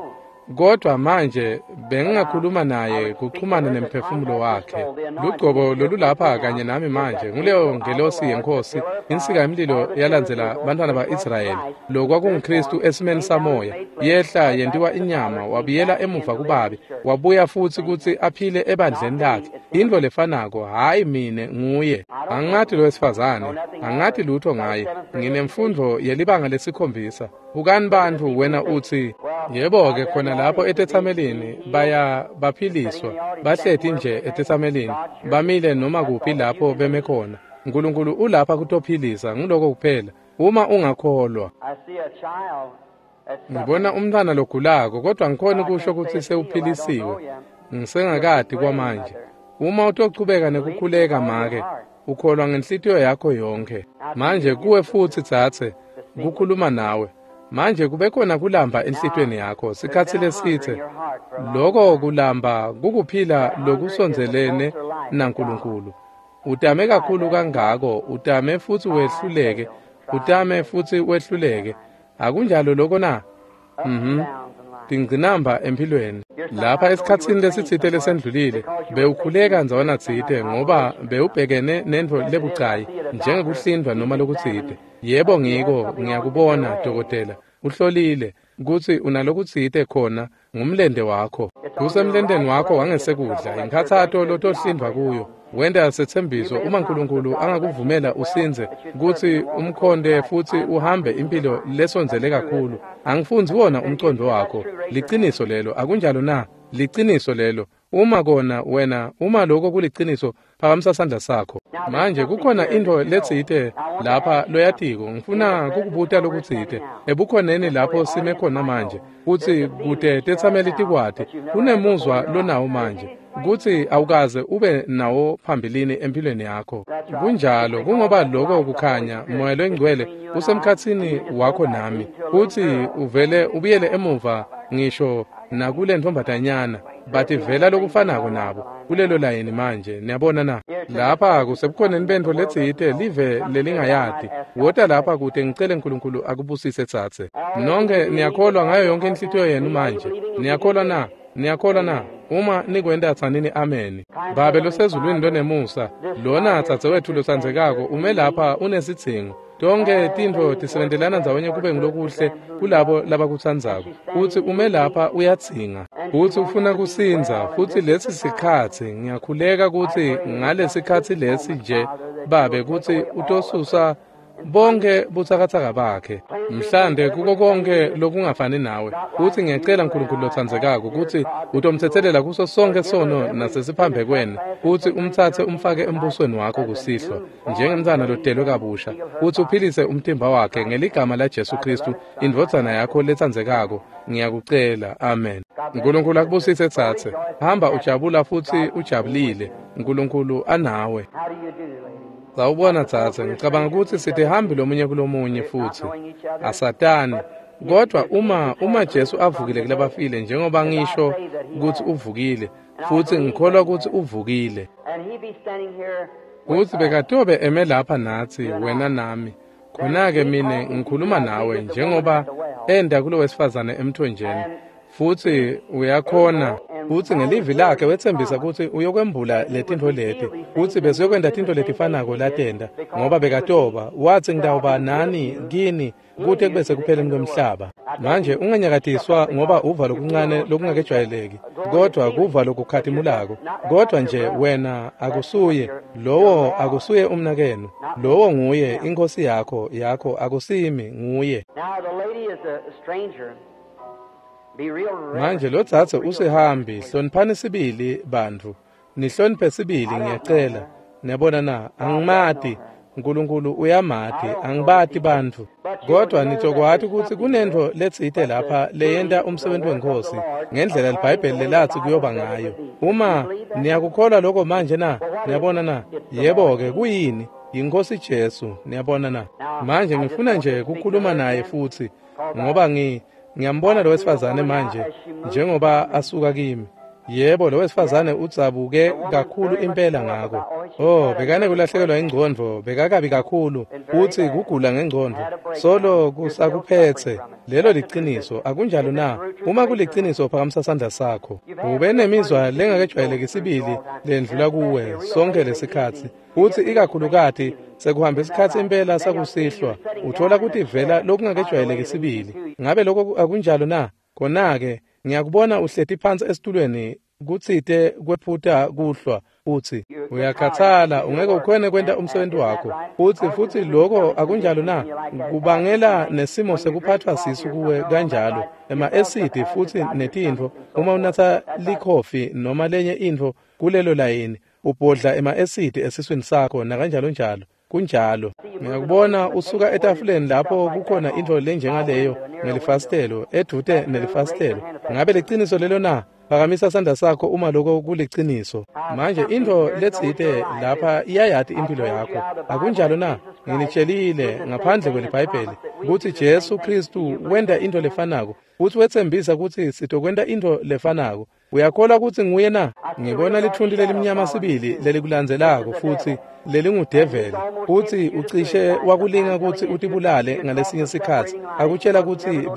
Kodwa manje bengingakhuluma naye kuxhumana nemphefumulo wakhe. Lugcobo lolulapha kanye nami manje nguleyo ngelosi yenkosi, insika yemlilo yalandzela bantwana ba-Israyeli. LokwakunguKristu esimeni samoya, yehla yentiwa inyama, wabuyela emuva kubabe, wabuya futsi kutsi aphile ebandleni lakhe. Intfo lefanako, hhayi mine nguye. Angingati lo wesifazane, angingati lutho ngaye. Nginemfundvo yelibanga lesikhombisa. Bukani bantfu, wena utsi, yebo-ke khona lapho etetsamelini baya baphiliswa, bahleti nje etetsamelini, bamile noma kuphi lapho beme khona. uNkulunkulu ulapha kutophilisa, nguloko kuphela. Uma ungakholwa. Ngibona umntwana logulako, kodwa ngikhona kusho kutsi sewuphilisiwe. Ngisengakati kwamanje. Uma utochubeka nekukhuleka make, ukholwa ngenhlitiyo yakho yonke. Manje kuwe futsi tsatse, kukhuluma nawe. Manje kube khona kulamba enhlitiyweni yakho sikhatsi lesitse. Lokho kulamba kukuphila lokusondzelene naNkulunkulu. Utame kakhulu kangako, utame futsi wehluleke, utame futsi wehluleke. Akunjalo lokho na? Tingcinamba empilweni. Lapha esikhatsini lesitsite lesendlulile, bewukhuleka ndzawana tsite ngoba bewubhekene nentfo lebucayi njengekuhlindvwa noma lokutsite. Yebo ngiko, ngiyakubona dokotela. Uhlolile kutsi unalokutsite khona ngumlente wakho. Kusemlenteni wakho wangesekudla, inkhatsato lotohlindvwa kuyo. Wenta setsembiso uma uNkulunkulu angakuvumela usindze kutsi umkhonde futsi uhambe impilo lesondzele kakhulu. Angifundzi wona umcondo wakho. Liciniso lelo, akunjalo na? Liciniso lelo. Uma kona wena, uma lokho kuliciniso, phakamisa sandla sakho. Manje kukhona intfo letsite lapha loyatiko, ngifuna kukubuta lokutsite. Ebukhoneni lapho sime khona manje, kutsi kute tetsameli tikwati, kunemuzwa lonawo manje, kutsi awukaze ube nawo phambilini empilweni yakho. Kunjalo, kungoba lokho kukhanya, Moya loNgcwele usemkhatsini wakho nami, kutsi uvele ubuyele emuva ngisho nakule ntombazanyana, bativela lokufanako nabo kulelo layini manje. Niyabona na? Lapha kusebukhoneni bentfo letsite live lelingayati. Wota lapha kute ngicele uNkulunkulu akubusise tsatse. Nonke niyakholwa ngayo yonke inhlitiyo yenu manje. Niyakholwa na? Niyakholwa na? Uma nikwenta tsanini amen. Babe losezulwini lonemusa, lona tsatse wetfu lotsandzekako ume lapha unesidzingo. Tonke tintfo tisebentelana ndzawonye kube ngulokuhle kulabo labakutsandzako. Futsi ume lapha uyadzinga, futsi ufuna kusindza, futsi lesi sikhatsi ngiyakhuleka kutsi ngalesikhatsi lesi nje Babe kutsi utosusa Bonke butsakatsaka bakhe. Mhlande kuko konke lokungafani nawe. Futsi ngiyacela Nkulunkulu lotsandzekako kutsi utomtsetselela kuso sonke sono nasesiphambekweni, futsi umtsatse umfake embusweni wakho kusihlwa njengemntfwana lotelwe kabusha, futsi uphilise umtimba wakhe ngeligama laJesu Khristu, indvodzana yakho letsandzekako. Ngiyakucela. Amen. Nkulunkulu akubusise tsatse. Hamba ujabula futsi ujabulile. Nkulunkulu anawe. Sawubona tsatse, ngicabanga kutsi sitihambi lomunye kulomunye futsi asatani. Kodwa uma Jesu avukile kulabafile, njengoba ngisho kutsi uvukile, futsi ngikholwa kutsi uvukile, kutsi bekatobe eme lapha natsi, wena nami. Khona-ke mine ngikhuluma nawe njengoba enda kulo wesifazane emthonjeni, futsi uyakhona, futsi ngelivi lakhe wetsembisa kutsi uyokwembula letintfo leti, kutsi besiyokwenta tintfo letifanako latenta, ngoba bekatoba watsi ngitawuba nani kini kute kube sekupheleni kwemhlaba. Manje unganyakatiswa ngoba uva lokuncane lokungakejwayeleki, kodwa kuva lokukhatimulako. Kodwa nje wena akusuye lowo, akusuye umnakenu, lowo nguye inkosi yakho, yakho akusimi, nguye. Manje lo dzadze usihambi, hloniphani sibili bantfu, nihloniphe sibili ngiyacela. Niyabona na, angimati, Nkulunkulu uyamati, angibati bantfu. Kodwa nitokwati kutsi kunentfo letsite lapha leyenta umsebenzi weNkhosi ngendlela liBhayibheli lelatsi kuyoba ngayo. Uma niyakukholwa lokho manje na, niyabona na? Yebo-ke, kuyini? YiNkhosi Jesu, niyabona na? Manje ngifuna nje kukhuluma naye futsi, ngoba ngiyambona lo wesifazane manje njengoba asuka kimi. Yebo, lo wesifazane udzabuke kakhulu impela ngako. Oh, bekane kulahlekelwa ingcondvo, bekakabi kakhulu, utsi kugula ngengcondvo. Solo kusakuphetse. Lelo liciniso, akunjalo na? Uma kuliciniso, phakamisa sandla sakho. Ube nemizwa lengakejwayeleki sibili lendlula kuwe sonke lesikhatsi. Utsi ikakhulukati sekuhambe isikhatsi impela sakusihlwa, uthola kutivela lokungakejwayeleki sibili. Ngabe lokho akunjalo na? Khona-ke ngiyakubona uhleti phansi esitulweni kutsite kwephuta kuhlwa, utsi uyakhathala, ungeke ukhone kwenta umsebenzi wakho. Utsi futsi lokho akunjalo na? Kubangela nesimo sekuphathwa sisu kuwe kanjalo, ema-esidi futsi netintfo. Uma unatsa likhofi noma lenye intfo kulelo layini, ubhodla ema-esidi esiswini sakho nakanjalo njalo. Kunjalo. Ngiyakubona usuka etafuleni lapho kukhona intfo lenjengaleyo ngelifasitelo, edvute nelifasitelo. Ngabe liciniso lelo na? Phakamisa sandla sakho uma lokho kuliciniso. Manje intfo letsite lapha iyayati impilo yakho. Akunjalo na? Nginitshelile ngaphandle kweliBhayibheli kutsi Jesu Khristu wenta intfo lefanako, futsi wetsembisa kutsi sitokwenta intfo lefanako. Uyakholwa kutsi nguye na? Ngibona lithunti lelimnyama sibili lelikulandzelako futsi lelingudeveli, futsi ucishe wakulinga kutsi utibulale ngalesinye sikhatsi. Akutshela kutsi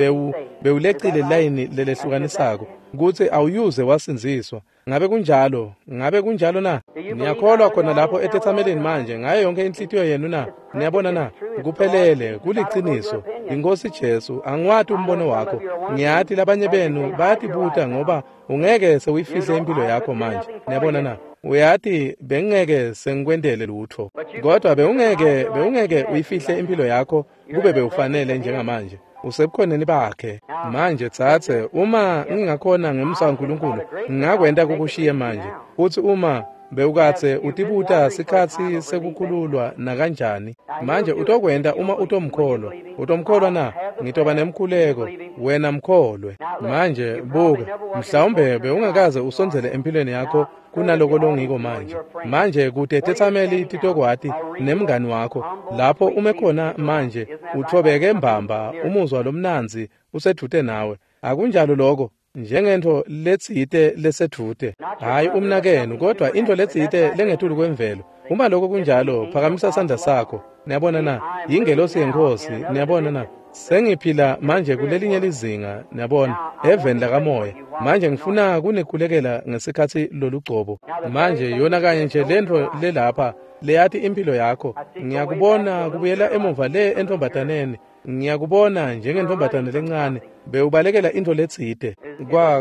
bewulecile layini lelehlukanisako, kutsi awuyuze wasindziswa. Ngabe kunjalo? Ngabe kunjalo na? Niyakholwa khona lapho etetsameleni manje ngayo yonke inhlitiyo yenu na? Niyabona na? Kuphelele, kuliciniso. INkhosi Jesu, angiwati umbono wakho. Ngiyati labanye benu bayatibuta ngoba ungeke sewuyifihle impilo yakho manje. Niyabona na? Uyati bengeke sengikwentele lutho. Kodwa bewungeke uyifihle impilo yakho kube bewufanele njengamanje. Usebukhoneni bakhe. Manje tsatse, uma ngingakhona ngemsa waNkulunkulu, ngingakwenta kukushiye manje. Futsi uma bewukatse utibuta sikhatsi sekukhululwa nakanjani, manje utokwenta uma utomkholwa. Utomkholwa na? Ngitoba nemkhuleko, wena mkholwe. Manje buka, mhlawumbe bewungakaze usondzele empilweni yakho kunaloko longiko manje. Manje kute tetsameli titokwati nemngani wakho lapho ume khona manje, uthobeke mbamba, umuzwa lomnandzi usedvute nawe. Akunjalo lokho? Njengentfo letsite lesedvute, hhayi umnakenu, kodwa intfo letsite lengetulu kwemvelo. Uma lokho kunjalo, phakamisa sandla sakho. Niyabona na? Yingelosi yeNkhosi. Niyabona na? Sengiphila manje kulelinye lizinga, niyabona, eveni lakamoya. Manje ngifuna kunikhulekela ngesikhatsi lolugcobo. Manje yona kanye nje lentfo lelapha leyati impilo yakho. Ngiyakubona kubuyela emuva le entombataneni. Ngiyakubona njengentombatane lencane bewubalekela intfo letsite.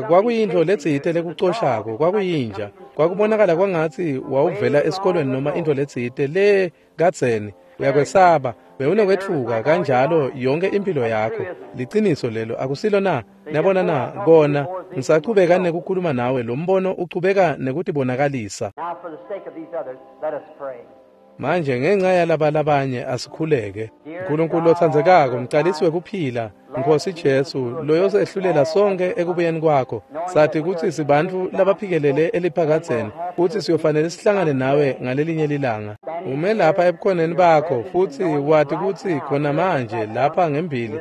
Kwakuyintfo letsite lekucoshako, kwakuyinja. Kwakubonakala kwangatsi wawuvela esikolweni noma intfo letsite le kadzeni. Uyakwesaba, bewunekwetfuka kanjalo yonke impilo yakho. Liciniso lelo, akusilo na? Niyabona na? Kona ngisachubeka nekukhuluma nawe, lo mbono uchubeka nekutibonakalisa. Manje ngenxa yalaba labanye asikhuleke. Nkulunkulu lotsandzekako, mcalisi wekuphila, Nkosi Jesu, loyosehlulela sonke ekubuyeni kwakho. Sathi kutsi sibantfu labaphikelele eliphakadzeni, futsi siyofanele sihlangane nawe ngalelinye lilanga. Ume lapha ebukhoneni bakho, futsi wati kutsi khona manje lapha ngembili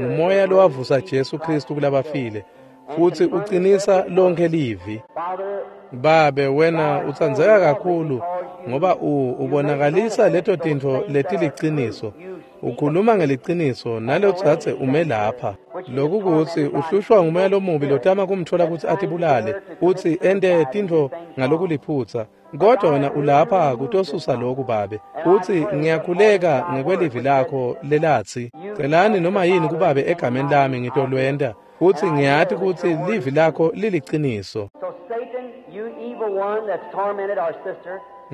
ngumoya lowavusa Jesu Kristu kulabafile, futsi ucinisa lonke livi. Babe, wena utsandzeka kakhulu ngoba ubonakalisa leto tintfo letiliciniso. Ukhuluma ngeliciniso nalotsatse ume lapha. Lokhu kutsi uhlushwa ngumoya lomubi lotama kumthola kutsi atibulale, utsi ente tintfo ngalokuliphutsa. Kodwa wena ulapha kutosusa lokhu, Babe. Utsi ngiyakhuleka ngekwelivi lakho lelatsi, celani noma yini kuBabe egameni lami ngitolwenta. Utsi ngiyati kutsi livi lakho liliciniso.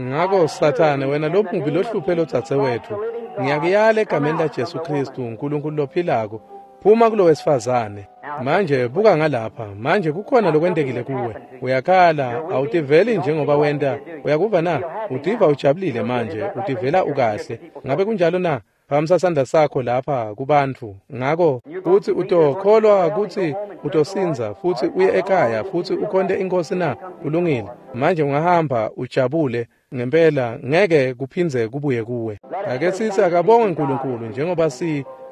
Ngako Sathane, wena lomubi lohluphe lodzadze wetfu, ngiyakuyala egameni la Jesu Kristu, uNkulunkulu lophilako, phuma kulo wesifazane. Manje buka ngalapha, manje kukhona lokwentekile kuwe. Uyakhala, awutiveli njengoba wenta. Uyakuva na? Utiva ujabulile manje, utivela ukahle. Ngabe kunjalo na? Phakamisa sandla sakho lapha kubantfu. Ngako kutsi utokholwa kutsi utosindza futsi uye ekhaya futsi ukhonte inkosi na? Kulungile. Manje ungahamba ujabule ngempela, ngeke kuphindze kubuye kuwe. Ake sithi akabonge uNkulunkulu njengoba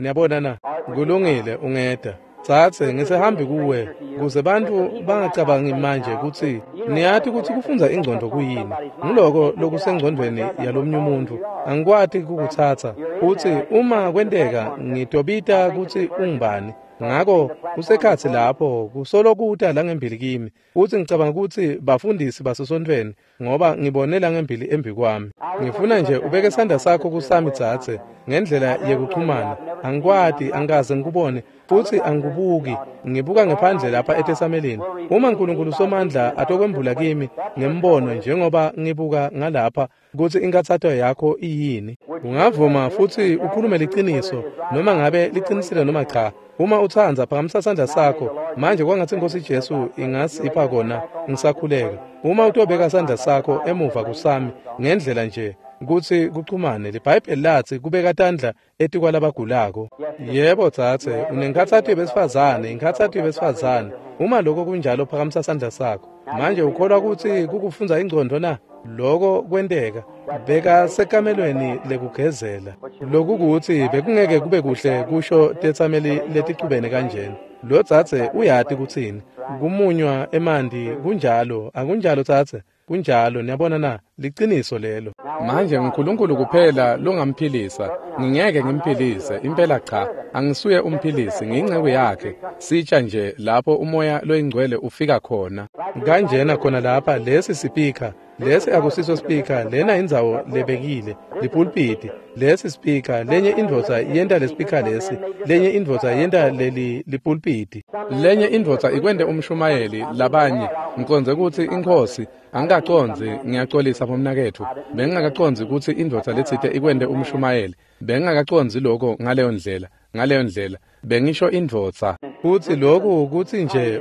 niyabona na? Kulungile, ungeda. Tsatse ngisehambi kuwe kuze bantfu bangacabangi manje kutsi niyati kutsi kufundza ingcondo kuyini. Nguloko lokusengcondvweni yalomnye umuntu. Angikwati kukutsatsa. Utsi uma kwenteka ngitobita kutsi ungubani. Ngako kusekhatsi lapho kusolo kuta langembili kimi. Utsi ngicabanga kutsi bafundisi basesontfweni ngoba ngibone langembili embi kwami. Ngifuna nje ubeke sandla sakho kusami tsatse ngendlela yekuchumana. Angikwati, angikaze ngikubone, futsi angikubuki. Ngibuka ngephandle lapha etesamelini. Uma uNkulunkulu Somandla atokwembula kimi ngembono njengoba ngibuka ngalapha kutsi inkathato yakho iyini, ungavuma futsi ukhulume liciniso noma ngabe liqinisile noma cha. Uma utsandza, phakamisa sandla sakho manje. Kwangatsi Inkosi Jesu ingasipha kona ngisakhuleka. Uma utobeka sandla sakho emuva kusami ngendlela nje kutsi kuchumane, liBhayibheli latsi kubeka tandla etikwalabagulako. Yebo tsatse, unenkhatsato yebesifazane, inkhatsato yebesifazane. Uma lokho kunjalo, phakamisa sandla sakho. Manje ukholwa kutsi kukufundza ingcondo na? Lokho kwenteka beka sekamelweni lekugezela. Lokhu kutsi bekungeke kube kuhle kusho tetsameli leticubene kanjena. Lo tsatse uyati kutsini kumunywa emanti. Kunjalo, akunjalo tsatse? Kunjalo, niyabona na? Liciniso lelo. Manje uNkulunkulu kuphela longamphilisa. Ngingeke ngimphilise, impela cha. Angisuye umphilisi, ngiyinceku yakhe. Sitsha nje lapho umoya loyingcwele ufika khona. Kanjena khona lapha, lesi sipika, lesi akusiso speaker, lena indzawo lebekile, lipulpiti. Lesi speaker, lenye indvodza yenta le speaker lesi, lenye indvodza yenta leli lipulpiti. Lenye indvodza ikwente umshumayeli, labanye ngiconze kutsi inkosi, angikacondzi, ngiyacolisa bomnaketfu. Bengingakacondzi kutsi indvodza letsite ikwente umshumayeli. Bengingakacondzi lokho ngaleyo ndlela. Ngaleyo ndlela bengisho indvodza. Futsi lokhu kutsi nje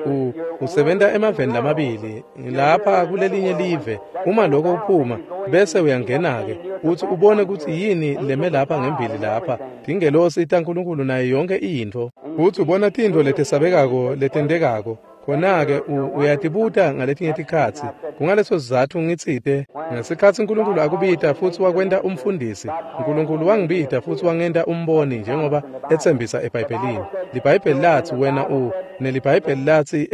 usebenta emaveni lamabili lapha kulelinye live. Uma lokho uphuma bese uyangena-ke utsi ubone kutsi yini leme lapha ngembili lapha, tingelosi taNkulunkulu nayo yonke intfo. Futsi ubona tintfo letesabekako letentekako. Khona-ke uyatibuta ngaletinye tikhatsi. Kungaleso sizatfu ngitsite ngesikhatsi uNkulunkulu akubita futsi wakwenta umfundisi, uNkulunkulu wangibita futsi wangenta umboni njengoba etsembisa eBhayibhelini. LiBhayibheli latsi wena neliBhayibheli latsi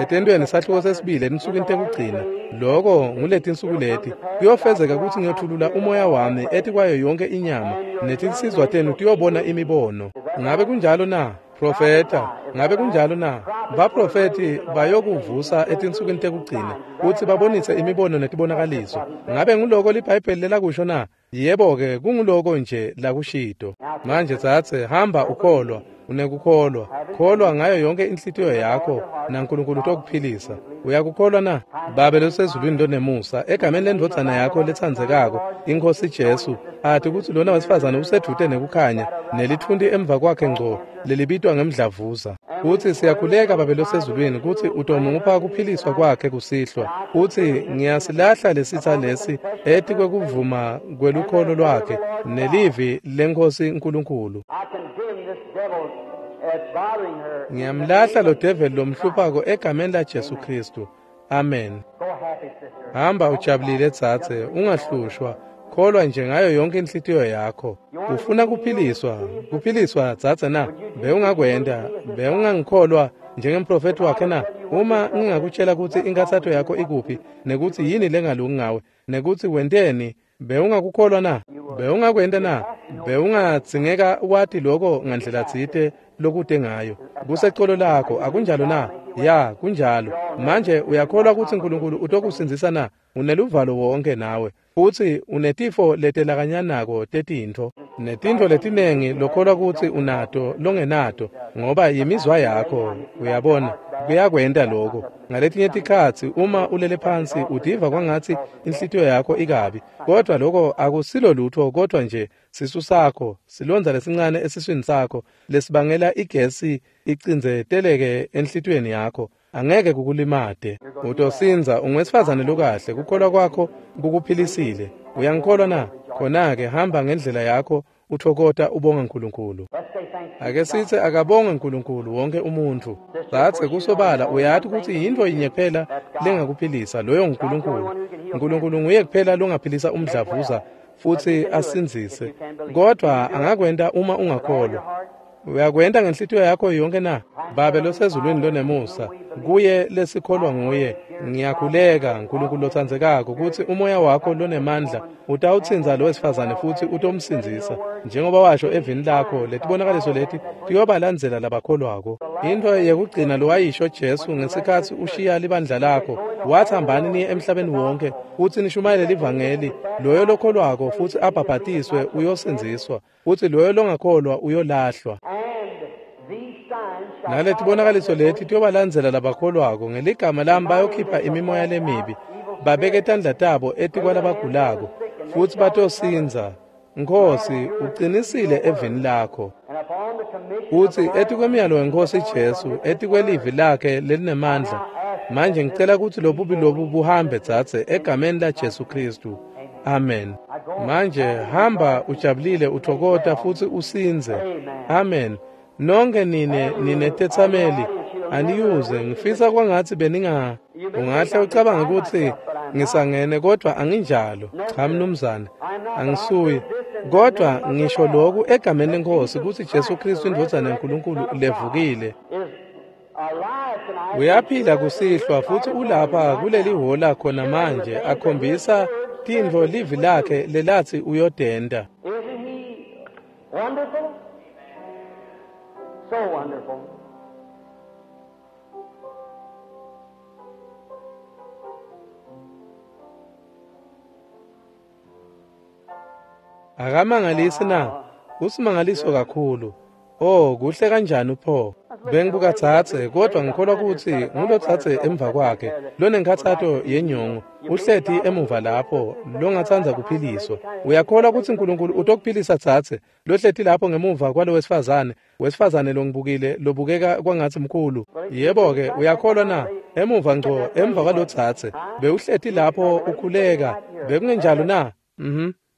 etentweni sahluko sesibili etinsukwini tekugcina. Loko nguletinsuku leti kuyofezeka kutsi ngiyothulula umoya wami etikwayo yonke inyama, netinsizwa tenu tiyobona imibono. Ngabe kunjalo na? Profeta, ngabe kunjalo na? Baprofeti bayokuvusa etinsukwini tekugcina kutsi babonise imibono netibonakaliso. Ngabe nguloko liBhayibheli lelakusho na? Yebo-ke, kunguloko nje lakushito. Manje tsatse, hamba ukholwa. Unekukholwa. Kholwa ngayo yonke inhlitiyo yakho naNkulunkulu utokuphilisa. Uyakukholwa na? Babe losezulwini lonemusa, egameni lendvodzana yakho letsandzekako, iNkhosi Jesu, ati kutsi lona wesifazane usedvute nekukhanya nelitfunti emva kwakhe ngco lelibitwa ngemdlavuza. Utsi siyakhuleka Babe losezulwini kutsi utomupha kuphiliswa kwakhe kusihlwa. Utsi ngiyasilahla lesitsa lesi etikwekuvuma kwelukholo lwakhe nelivi leNkhosi Nkulunkulu. Ngiyamlahla lo develi lomhluphako egameni la Jesu Kristu. Amen. Hamba ujabulile dzadze, ungahlushwa. Kholwa nje ngayo yonke inhlitiyo yakho. Ufuna kuphiliswa, kuphiliswa dzadze na? Bewungakwenta, bewungangikholwa njengemprofethi wakhe na? Uma ngingakutshela kutsi inkathato yakho ikuphi, nekutsi yini lengalungi ngawe, nekutsi wenteni, bewungakukholwa na? Bewungakwenta na? Bewungadzingeka wati loko ngandlela tsite lokute ngayo. Kusecolo lakho, akunjalo na? Ya, kunjalo. Manje uyakholwa kutsi Nkulunkulu utokusindzisa na? Uneluvalo wonke nawe. Futsi unetifo letelakanyanako tetintfo, netintfo letinengi lokholwa kutsi unato longenato, ngoba yimizwa yakho, uyabona, kuyakwenta loko. Ngaletinye tikhatsi uma ulele phansi utiva kwangatsi inhlitiyo yakho ikabi, kodwa loko akusilo lutfo kodwa nje sisu sakho, silondza lesincane esiswini sakho lesibangela igesi icindzeteleke enhlitiyweni yakho. Angeke kukulimate. Utosindza, ungwesifazane lokahle, kukholwa kwakho kukuphilisile. Uyangikholwa na? Khona-ke hamba ngendlela yakho uthokota ubonga Nkulunkulu. Ake sitsi akabonge Nkulunkulu wonke umuntfu. Dzadze kusobala uyati kutsi yintfo yinye kuphela lengakuphilisa, loyo nguNkulunkulu. Nkulunkulu nguye kuphela longaphilisa umdlavuza futsi asindzise. Kodwa angakwenta uma ungakholwa. Uyakwenta ngenhlitiyo yakho yonke na? Babe losezulwini lonemusa, kuye lesikholwa nguye, ngiyakhuleka Nkulunkulu lotsandzekako kutsi umoya wakho lonemandla utawutsintsa lo wesifazane futsi utomsindzisa. Njengoba washo evini lakho, letibonakaliso leti tiyobalandzela labakholwako. Intfo yekugcina lowayisho Jesu ngesikhatsi ushiya libandla lakho, wathi hambani niye emhlabeni wonke futsi nishumayele livangeli, loyo lokholwako futsi abhabhatiswe uyosindziswa, futsi loyo longakholwa uyolahlwa. Naletibonakaliso leti tiyobalandzela labakholwako, ngeligama lami bayokhipha imimoya lemibi, babeke tandla tabo etikwalabagulako, futsi batosindza. Nkhosi, uqinisile evini lakho. Utsi etikwemiyalo weNkhosi Jesu, etikwelivi lakhe lelinemandla. Manje ngicela kutsi lobubi lobu buhambe dzadze egameni la Jesu Kristu. Amen. Manje hamba ujabulile uthokota futsi usindze. Amen. Nonke nine ninetetsameli aniyuze, ngifisa kwangatsi beninga. Ungahle ucabange kutsi ngisangene kodwa anginjalo. Cha mnumzane, angisuye. Kodwa ngisho lokhu egameni leNkhosi kutsi Jesu Kristu indvodzana yaNkulunkulu levukile. Uyaphila kusihlwa futsi ulapha kuleli hhola khona manje akhombisa tintfo livi lakhe lelatsi uyodenta. So wonderful. Akamangalisi na? Usimangaliso kakhulu. Oh, kuhle kanjani pho. Bengibuka dzadze, kodwa ngikholwa kutsi ngulo dzadze emva kwakhe lonenkhatsato yenyongo, uhleti emuva lapho longatsandza kuphiliswa. Uyakholwa kutsi Nkulunkulu utokuphilisa dzadze lohleti lapho ngemuva kwalo wesifazane, wesifazane longibukile lobukeka kwangatsi mkhulu. Yebo-ke, uyakholwa na? Emuva ngco emva kwalo dzadze bewuhleti lapho ukhuleka, bekungenjalo na?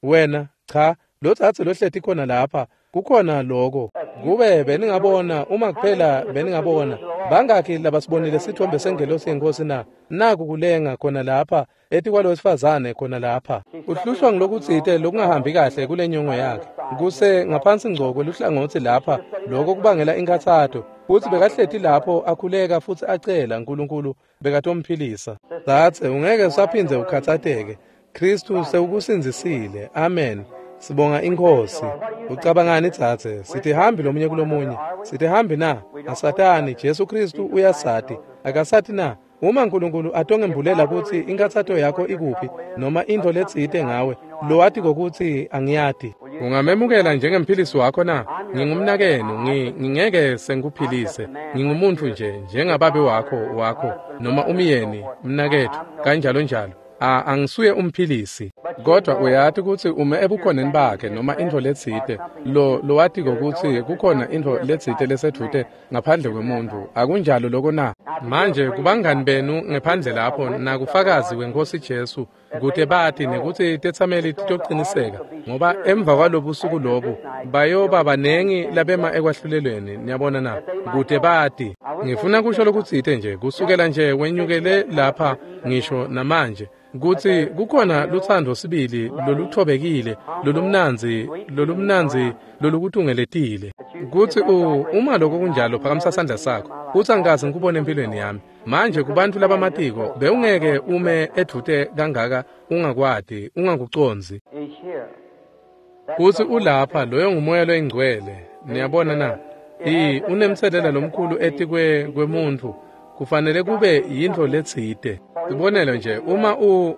Wena cha, lo dzadze lohleti khona lapha, kukhona loko. Kube beningabona, uma kuphela beningabona, bangakhi labasibonile sithombe sengelosi yeNkhosi na? Naku kulenga khona lapha etikwalo wesifazane khona lapha. Uhlushwa ngilokutsite lokungahambi kahle kule nyongo yakhe. Kuse ngaphansi ngco kweluhlangotsi lapha, loko kubangela inkhatsato. Futsi bekahleti lapho akhuleka futsi acela Nkulunkulu bekatomphilisa. Dzadze, ungeke usaphindze ukhatsateke. Kristu sewukusindzisile. Amen. Sibonga iNkhosi. Ucabangani dzadze? Sitihambi lomunye kulomunye. Sitihambi na? Asatani, Jesu Kristu uyasati. Akasati na? Uma Nkulunkulu atongembulela kutsi inkhatsato yakho ikuphi noma intfo letsite ngawe, lowati kokutsi angiyati. Ungamemukela njengemphilisi wakho na? Ngingumnakenu, ngingeke sengikuphilise. Ngingumuntu nje njengababe wakho noma umyeni, mnakethu, kanjalo njalo. Angisuye umphilisi, kodwa uyati ukuthi ume ebukhoneni bakhe noma intfo letsite lo watiko kutsi kukhona intfo letsite lesedvute ngaphandle kwemuntu. Akunjalo loko na? Manje kubangani benu ngephandle lapho nakufakazi wenkosi Jesu kute bati nekutsi tetsameli titociniseka, ngoba emva kwalobusuku lobu bayoba banengi labema ekwahlulelweni. Niyabona na? Kute bati. Ngifuna kusho lokutsite nje kusukela nje wenyukele lapha ngisho namanje kutsi kukhona lutsandvo sibili loluthobekile lolumnandzi lolukutungeletile. Kutsi uma lokho kunjalo phakamisa sandla sakho kutsi angikaze ngikubone empilweni yami. Manje kubantfu labamatiko bewungeke ume edvute kangaka ungakwati ungakucondzi kutsi ulapha. Loyo ngumoya loyingcwele. Niyabona na? Unemtselela lomkhulu etikwe kwemuntfu. Kufanele kube yintfo letsite. Sibonelo nje,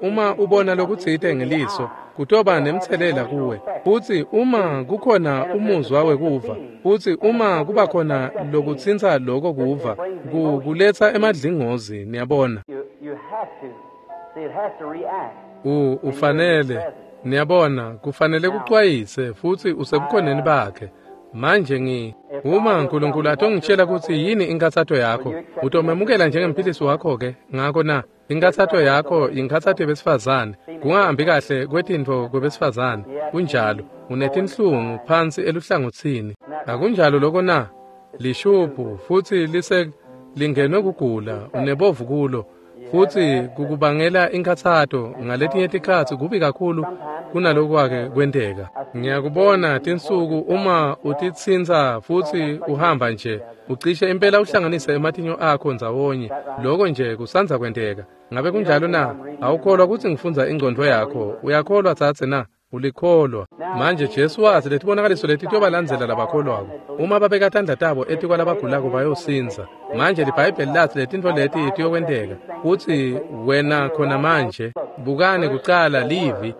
uma ubona lokutsite ngeliso kutoba nemtselela kuwe. Futsi uma kukhona umuzwa wekuva, futsi uma kuba khona lokutsintsa loko kuva, kuletsa emadlingozi. Niyabona? Ufanele, niyabona, kufanele kucwayise futsi usebukhoneni bakhe. Manje uma uNkulunkulu atongitshela kutsi yini inkathato yakho, utomemukela njengemphilisi wakho ke? Ngako na inkathato yakho inkathato yebesifazane, kungahambi kahle kwetintfo kwebesifazane. Kunjalo, unetinhlungu phansi eluhlangotsini. Akunjalo loko na? Lishubhu futsi lise lingenwe kugula, unebovu kulo futsi kukubangela inkathato. Ngaletinye tikhatsi kubi kakhulu kunalokwake kwenteka. Ngiyakubona tinsuku uma utitsintsa futsi uhamba nje ucishe impela uhlanganise ematinyo akho ndzawonye. Loko nje kusandza kwenteka. Ngabe kunjalo na? Awukholwa kutsi ngifundza ingcondvo yakho? Uyakholwa tsatse na? Ulikholwa. Manje Jesu wathi letibonakaliso leti tiyobalandzela labakholwako. Uma babeka tandla tabo etikwalabagulako bayosindza. Manje liBhayibheli lathi letintfo leti tiyokwenteka. Kutsi wena khona manje bukani kucala livi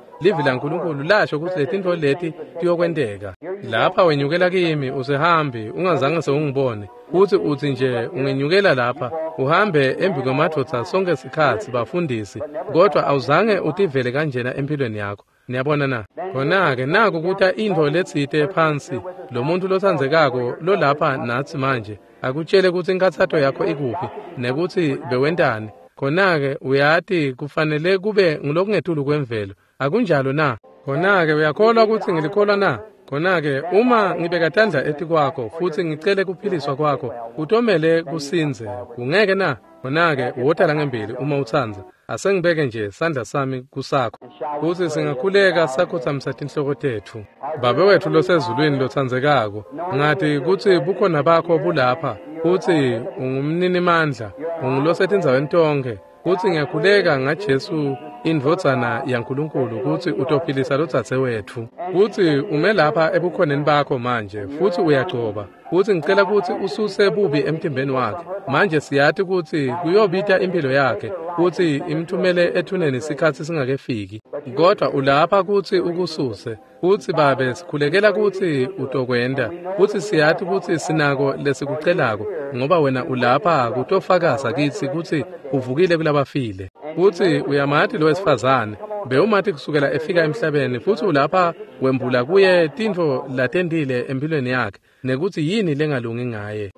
laNkulunkulu lasho kutsi letintfo leti tiyokwenteka. Lapha wenyukela kimi usehambi ungazange sewungibone. Futsi utsi nje ungenyukela lapha uhambe embi kwemadvodza sonke sikhatsi bafundisi, kodwa awuzange utivele kanjena empilweni yakho. Niyabona na? Khona-ke naku kuta intfo letsite phansi, lo muntu lotsandzekako lolapha natsi manje akutshele kutsi inkathato yakho ikuphi nekutsi bewentani. Khona-ke uyati kufanele kube ngulokungetulu kwemvelo. Akunjalo na? Khona-ke uyakholwa kutsi ngilikholwa na? Khona-ke uma ngibeka tandla etikwakho futsi ngicele kuphiliswa kwakho, kutomele kusindze, kungeke na? Khona-ke wota langembili uma utsandza. Asengibeke nje sandla sami kusakho. Futsi singakhuleka sakhotsamisa tinhloko tetfu. Babe wetfu losezulwini lotsandzekako, ngati kutsi bukhona bakho bulapha, futsi ungumninimandla, ungulosetindzaweni tonkhe. Futsi ngiyakhuleka ngaJesu indvodzana yaNkulunkulu kutsi utophilisa lodzadze wetfu. Futsi ume lapha ebukhoneni bakho manje, futsi uyagcoba. Futsi ngicela kutsi ususe bubi emtimbeni wakhe. Manje siyati kutsi kuyobita impilo yakhe futsi imthumele ethuneni sikhatsi singakefiki. Kodwa ulapha kutsi ukususe. Futsi Babe sikhulekela kutsi utokwenta. Futsi siyati kutsi sinako lesikucelako, ngoba wena ulapha kutofakaza kitsi kutsi uvukile kulabafile. Futsi uyamati lo wesifazane, bewumati kusukela efika emhlabeni, futsi ulapha wembula kuye tintfo latentile empilweni yakhe nekutsi yini lengalungi ngaye.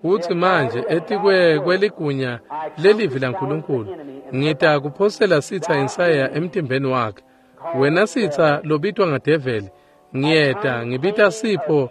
Futsi manje etikwe kweligunya lelivi laNkulunkulu ngita kuphosela sitsa insayeya emtimbeni wakhe. Wena sitsa lobitwa ngadeveli, ngiyeta ngibita sipho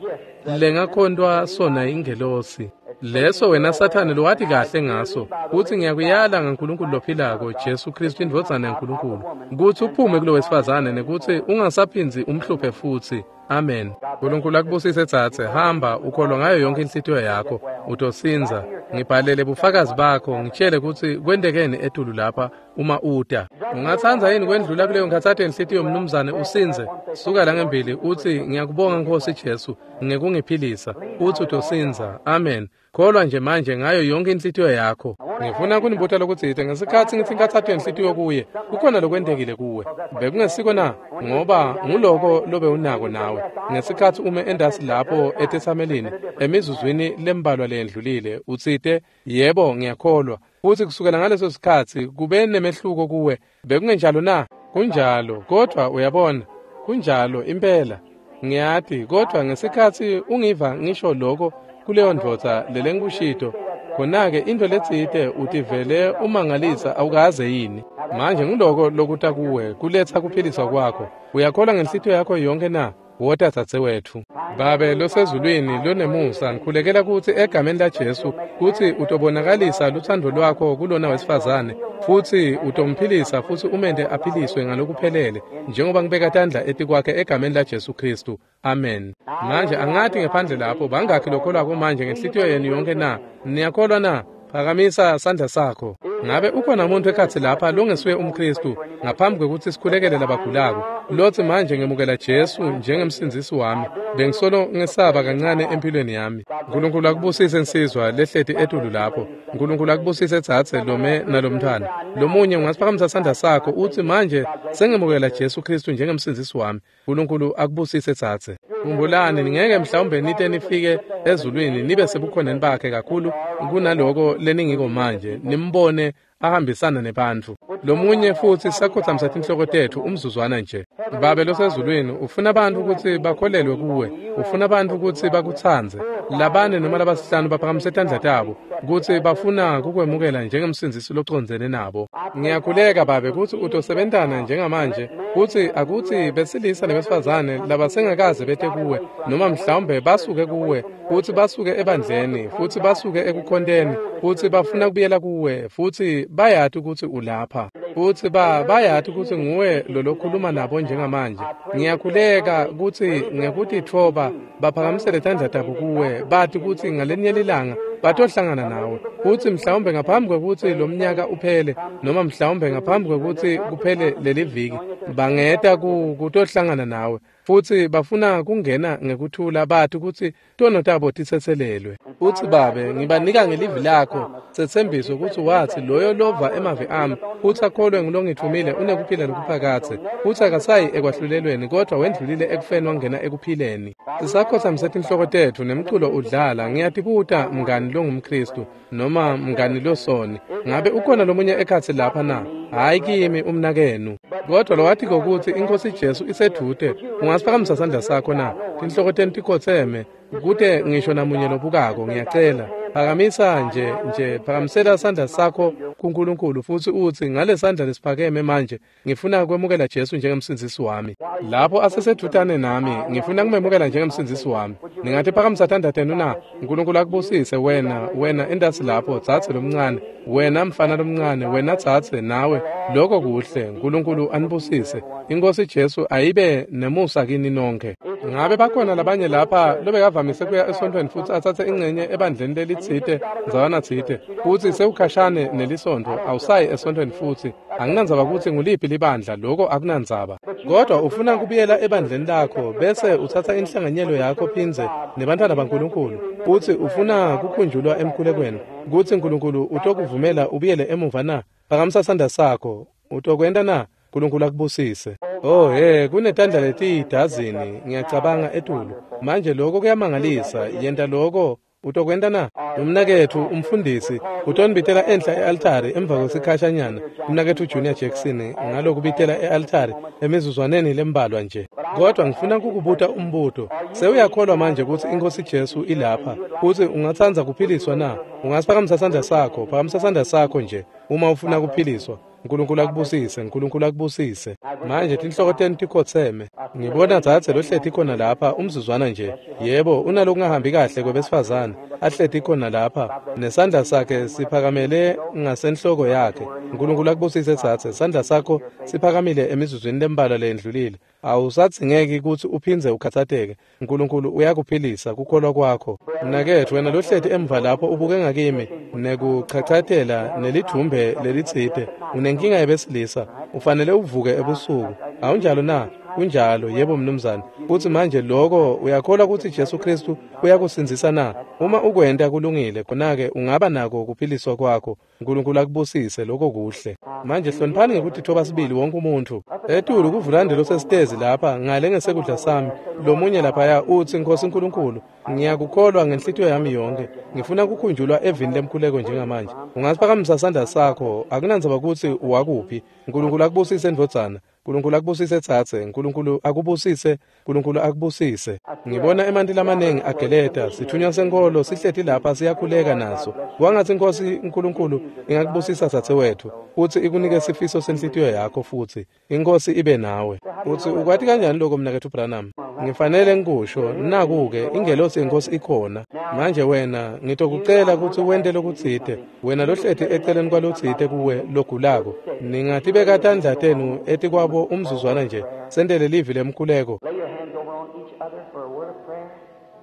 lengakhontwa sona ingelosi. Leso wena Sathane lowati kahle ngaso, kutsi ngiyakuyala ngaNkulunkulu lophilako, Jesu Kristu indvodzana yaNkulunkulu, kutsi uphume kulo wesifazane nekutsi ungasaphindzi umhluphe futsi. Amen. Nkulunkulu akubusise tsatse, hamba ukholwa ngayo yonke inhlitiyo yakho, utosindza. Ngibhalele bufakazi bakho, ngitshele kutsi kwentekeni etulu lapha uma uta. Ungatsandza yini kwendlula kuleyo nkhatsato yenhlitiyo mnumzane usindze? Suka la ngembili utsi ngiyakubonga Nkosi Jesu ngekungiphilisa. Utsi utosindza. Amen. Kholwa nje manje ngayo yonke inhlitiyo yakho. Ngifuna kunibuta lokutsite ngesikhatsi ngitsi inkhatsato yenhlitiyo kuye, kukhona lokwentekile kuwe. Bekungesiko na? Ngoba nguloko lobe unako nawe. Ngesikhatsi ume endasi lapho etetsamelini emizuzwini lembalwa leyendlulile, utsite, yebo ngiyakholwa. Futsi kusukela ngaleso sikhatsi kube nemehluko kuwe. Bekungenjalo na? Kunjalo, kodvwa uyabona, kunjalo impela. Ngiyati, kodvwa ngesikhatsi ungiva ngisho lokho kuleyo ndvodza lelengikushito, khona-ke into letsite utivele umangalisa awukaze yini. Manje nguloko lokuta kuwe kuletsa kuphiliswa kwakho. Uyakholwa ngenhlitiyo yakho yonke na? Wota dzadzewetfu. Babe losezulwini lonemusa, ngikhulekela kutsi egameni laJesu kutsi utobonakalisa lutsandvo lwakho kulona wesifazane, futsi utomphilisa futsi umente aphiliswe ngalokuphelele njengoba ngibeka tandla etikwakhe egameni laJesu Khristu. Amen. Manje angati ngephandle lapho bangakhi lokholwako manje ngenhlitiyo yenu yonke na? Niyakholwa na? Phakamisa sandla sakho. Ngabe ukhona umuntu ekhatsi lapha longesuye umKhristu ngaphambi kwekutsi sikhulekele labagulako, lotsi manje ngemukela Jesu njengemsindzisi wami, bengisolo ngesaba kancane empilweni yami. Nkulunkulu akubusise nsizwa lehleti etulu lapho. Nkulunkulu akubusise dzadze lome nalomntfwana. Lomunye ungasiphakamisa sandla sakho utsi manje sengemukela Jesu Khristu njengemsindzisi wami. Nkulunkulu akubusise dzadze. Khumbulani, ningeke mhlawumbe nite nifike ezulwini nibe sebukhoneni bakhe kakhulu kunaloko leningiko manje, nimbone ahambisana nebantfu. Lomunye futsi sakhotsamisa tinhloko tetfu umzuzwana nje. Babe losezulwini, ufuna bantfu kutsi bakholelwe kuwe, ufuna bantfu kutsi bakutsandze. Labane noma labasihlanu baphakamise tandla tabo kutsi bafuna kukwemukela njengemsindzisi locondzene nabo. Ngiyakhuleka Babe kutsi utosebentana njengamanje, kutsi akutsi besilisa nebesifazane labasengakaze bete kuwe, noma mhlawumbe basuke kuwe, futsi basuke ebandleni, futsi basuke ekukhonteni, futsi bafuna kubuyela kuwe, futsi bayati kutsi ulapha, futsi bayati kutsi nguwe lolokhuluma nabo njengamanje. Ngiyakhuleka kutsi ngekutitfoba baphakamisele tandla tabo kuwe, bati kutsi ngalenye lilanga batohlangana nawe, futsi mhlawumbe ngaphambi kwekutsi lomnyaka uphele, noma mhlawumbe ngaphambi kwekutsi kuphele leliviki, bangeta kutohlangana nawe, futsi bafuna kungena ngekuthula bati kutsi tono tabo titsetselelwe. Utsi Babe, ngibanika ngelivi lakho setsembiso kutsi watsi loyo lova emavi ami futsi akholwe ngulongitfumile unekuphila lokuphakadze, futsi akasayi ekwahlulelweni kodvwa wendlulile ekufeni wangena ekuphileni. Sisakhotsamise tinhloko tetfu nemculo udlala, ngiyatibuta mngani longumKhristu noma mngani losoni, ngabe ukhona lomunye ekhatsi lapha na? Hhayi kimi umnakenu, kodvwa lowatiko kutsi iNkhosi Jesu isedvute, ungasiphakamisa sandla sakho na? Tinhloko tenu tikhotseme, kute ngisho namunye lobukako. Ngiyacela phakamisa nje phakamisela sandla sakho kuNkulunkulu futsi utsi ngale sandla lesiphakeme manje ngifuna kwemukela Jesu njengemsindzisi wami. Lapho asesedvutane nami, ngifuna kumemukela njengemsindzisi wami. Ningathi phakamisa tandla tenu na? Nkulunkulu akubusise wena, wena endasi lapho dzadze lomncane, wena mfana lomncane, wena dzadze nawe. Lokho kuhle. Nkulunkulu anibusise. INkhosi Jesu ayibe nemusa kini nonke. Ngabe bakhona labanye lapha lobekavamise kuya esontfweni futsi atsatse ingcenye ebandleni lelitsite ndzawana tsite, futsi sewukhashane nelisontfo, awusayi esontfweni futsi? Anginandzaba kutsi nguliphi libandla, lokho akunandzaba. Kodwa ufuna kubuyela ebandleni lakho bese utsatsa inhlanganyelo yakho phindze nebantfwana baNkulunkulu, futsi ufuna kukhunjulwa emkhulekweni kutsi Nkulunkulu utokuvumela ubuyele emuva na? Phakamisa sandla sakho. Utokwenta na? Nkulunkulu akubusise. Oh he, kunetandla letiyidazini ngiyacabanga etulu. Manje lokho kuyamangalisa. Yenta lokho. Utokwenta na? Umnaketfu umfundisi utonibitela enhla e-altari emva kwesikhashanyana. Umnaketfu Junior Jackson ngalokubitela e-altari emizuzwaneni lembalwa nje. Kodwa ngifuna kukubuta umbuto. Sewuyakholwa manje kutsi iNkhosi Jesu ilapha, futsi ungatsandza kuphiliswa na? Ungasiphakamisa sandla sakho, phakamisa sandla sakho nje uma ufuna kuphiliswa. Nkulunkulu akubusise, Nkulunkulu akubusise. Manje tinhloko tenu tikhotseme. Ngibona dzadze lohleti khona lapha umzuzwana nje. Yebo, unalokungahambi kahle kwebesifazane, ahleti khona lapha, nesandla sakhe siphakamele ngasenhloko yakhe. Nkulunkulu akubusise dzadze, sandla sakho siphakamile emizuzwini lembalwa leyendlulile. Awusadzingeki kutsi uphindze ukhatsateke. Nkulunkulu uyakuphilisa kukholwa kwakho. Mnaketfu, wena lohleti emva lapho ubuke ngakimi nekuchachatela nelidvumbe lelitsite, unenkinga yebesilisa, ufanele uvuke ebusuku. Awunjalo na? Kunjalo, yebo mnumzane. Futsi manje lokho uyakholwa kutsi Jesu Kristu uyakusindzisa na? Uma ukwenta kulungile, khona-ke ungaba nako kuphiliswa kwakho. Nkulunkulu akubusise, lokho kuhle. Manje hloniphani ngekutitfoba sibili wonke umuntfu. Etulu kuvulande losesitezi lapha ngale ngesekudla sami, lomunye laphaya utsi, Nkosi Nkulunkulu, ngiyakukholwa ngenhlitiyo yami yonke. Ngifuna kukhunjulwa evini lemkhuleko njengamanje. Ungasiphakamisa sandla sakho, akunandzaba kutsi uwakuphi. Nkulunkulu akubusise ndvodzana. Nkulunkulu akubusise dzadze. Nkulunkulu akubusise. Nkulunkulu akubusise. Ngibona emanti lamanengi ageleta. Sithunywa senkholo sihleti lapha siyakhuleka naso. Kwangatsi Inkosi Nkulunkulu ingakubusisa dzadze wetfu, futsi ikunike sifiso senhlitiyo yakho futsi. Inkosi ibe nawe. Utsi ukwati kanjani lokho mnaketfu Branham? Ngifanele ngikusho, naku-ke ingelosi yenkosi ikhona. Manje wena ngitokucela kutsi wente lokutsite. Wena lohleti eceleni kwalotsite kuwe logulako. Ningatibeka tandla tenu etikwabo umzuzwana nje, sentele livi lemkhuleko. Lay your hands over on each other for a word of prayer.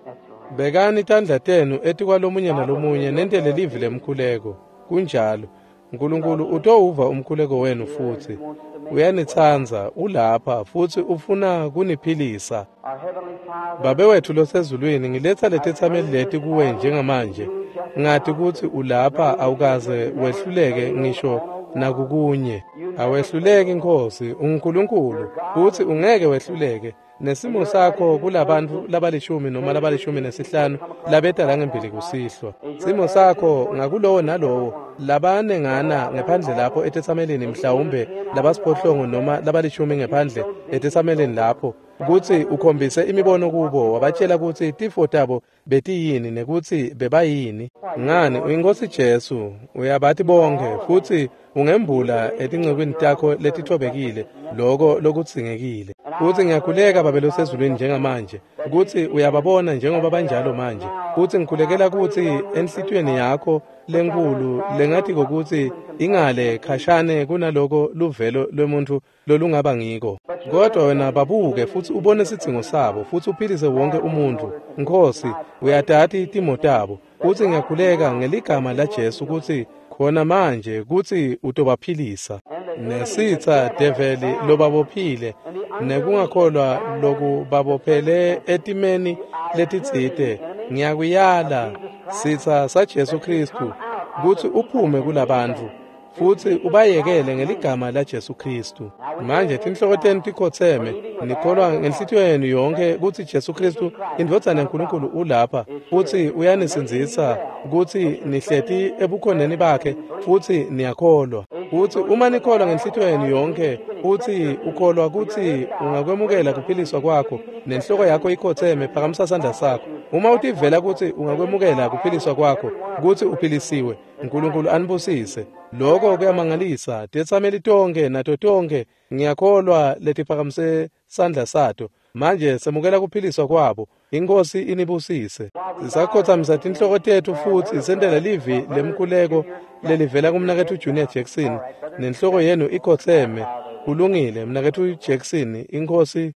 That's right. Bekani tandla tenu etikwalomunye nalomunye nentele livi lemkhuleko. Kunjalo. Nkulunkulu utowuva umkhuleko wenu futsi. Uyanitsandza, ulapha futsi ufuna kuniphilisa. Our Heavenly Father, Babe wethu losezulwini, ngiletsa letetsameli leti kuwe njengamanje. Ngati kutsi ulapha, awukaze wehluleke ngisho nakukunye. Awehluleki Nkosi, unguNkulunkulu, kutsi ungeke wehluleke. Nesimo sakho kulabantfu labalishumi noma labalishumi nesihlanu labeta la ngembili kusihlwa. Simo sakho ngakulowo nalowo labanengana ngephandle lapho etetsamelini, mhlawumbe labasiphohlongo noma labalishumi ngephandle etetsamelini lapho, kutsi ukhombise imibono kubo, wabatshela kutsi tifo tabo betiyini nekutsi bebayini. Ngani, uyiNkosi Jesu, uyabati bonkhe, futsi ungembula etincekwini takho letitfobekile loko lokudzingekile. Futsi ngiyakhuleka Babe losezulwini njengamanje kutsi uyababona njengoba banjalo manje. Futsi ngikhulekela kutsi enhlitiyweni yakho lenkulu lengatiko kutsi ingale khashane kunaloko luvelo lwemuntfu lolungaba ngiko. Kodwa wena babuke futsi ubone sidzingo sabo futsi uphilise wonke umuntfu. Nkosi, uyatati timo tabo. Futsi ngiyakhuleka ngeligama laJesu kutsi khona manje kutsi utobaphilisa. Nesitsa develi lobabophile nekungakholwa lokubabophele etimeni letitsite, ngiyakuyala sitsa saJesu Kristu kutsi uphume kulabantfu futsi ubayekele ngeligama laJesu Kristu. Manje tinhloko tenu tikhotseme, nikholwa ngenhlitiyo yenu yonke kutsi Jesu Kristu indvodzana yaNkulunkulu ulapha futsi uyanisindzisa, kutsi nihleti ebukhoneni bakhe futsi niyakholwa. Futsi uma nikholwa ngenhlitiyo yenu yonke futsi ukholwa kutsi ungakwemukela kuphiliswa kwakho nenhloko yakho ikhotseme, phakamisa sandla sakho. Uma utivela kutsi ungakwemukela kuphiliswa kwakho, kutsi uphilisiwe, Nkulunkulu anibusise. Lokho kuyamangalisa. Tetsameli tonke nato tonke ngiyakholwa letiphakamise sandla sato. Manje semukela kuphiliswa kwabo. Inkosi inibusise. Sisakhotsamisa tinhloko tetfu futsi sentele livi lemkhuleko lelivela kumnaketfu Junior Jackson, nenhloko yenu ikhotseme. Kulungile, mnaketfu Jackson, inkosi.